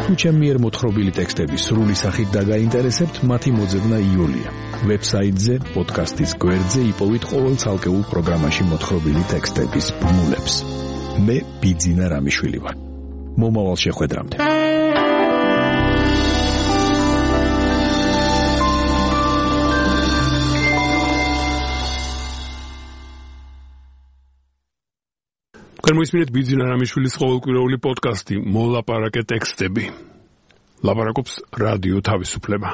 თუ ჩემი მიერ მოთხრობილი ტექსტები სრული სახით დაგაინტერესებთ, მათი მოძებნა იოლია. ვებსაიტზე, პოდკასტის გვერდზე იპოვით ყოველ ცალკეულ პროგრამაში მოთხრობილი ტექსტების ბმულებს. მე ბიძინა რამიშვილი ვარ. მომავალ შეხვედრამდე. თქვენ მოისმინეთ ბიძინა რამიშვილის ყოველკვირეული პოდკასტი მოლაპარაკეთ ტექსტები. ლაპარაკობს რადიო თავისუფლება.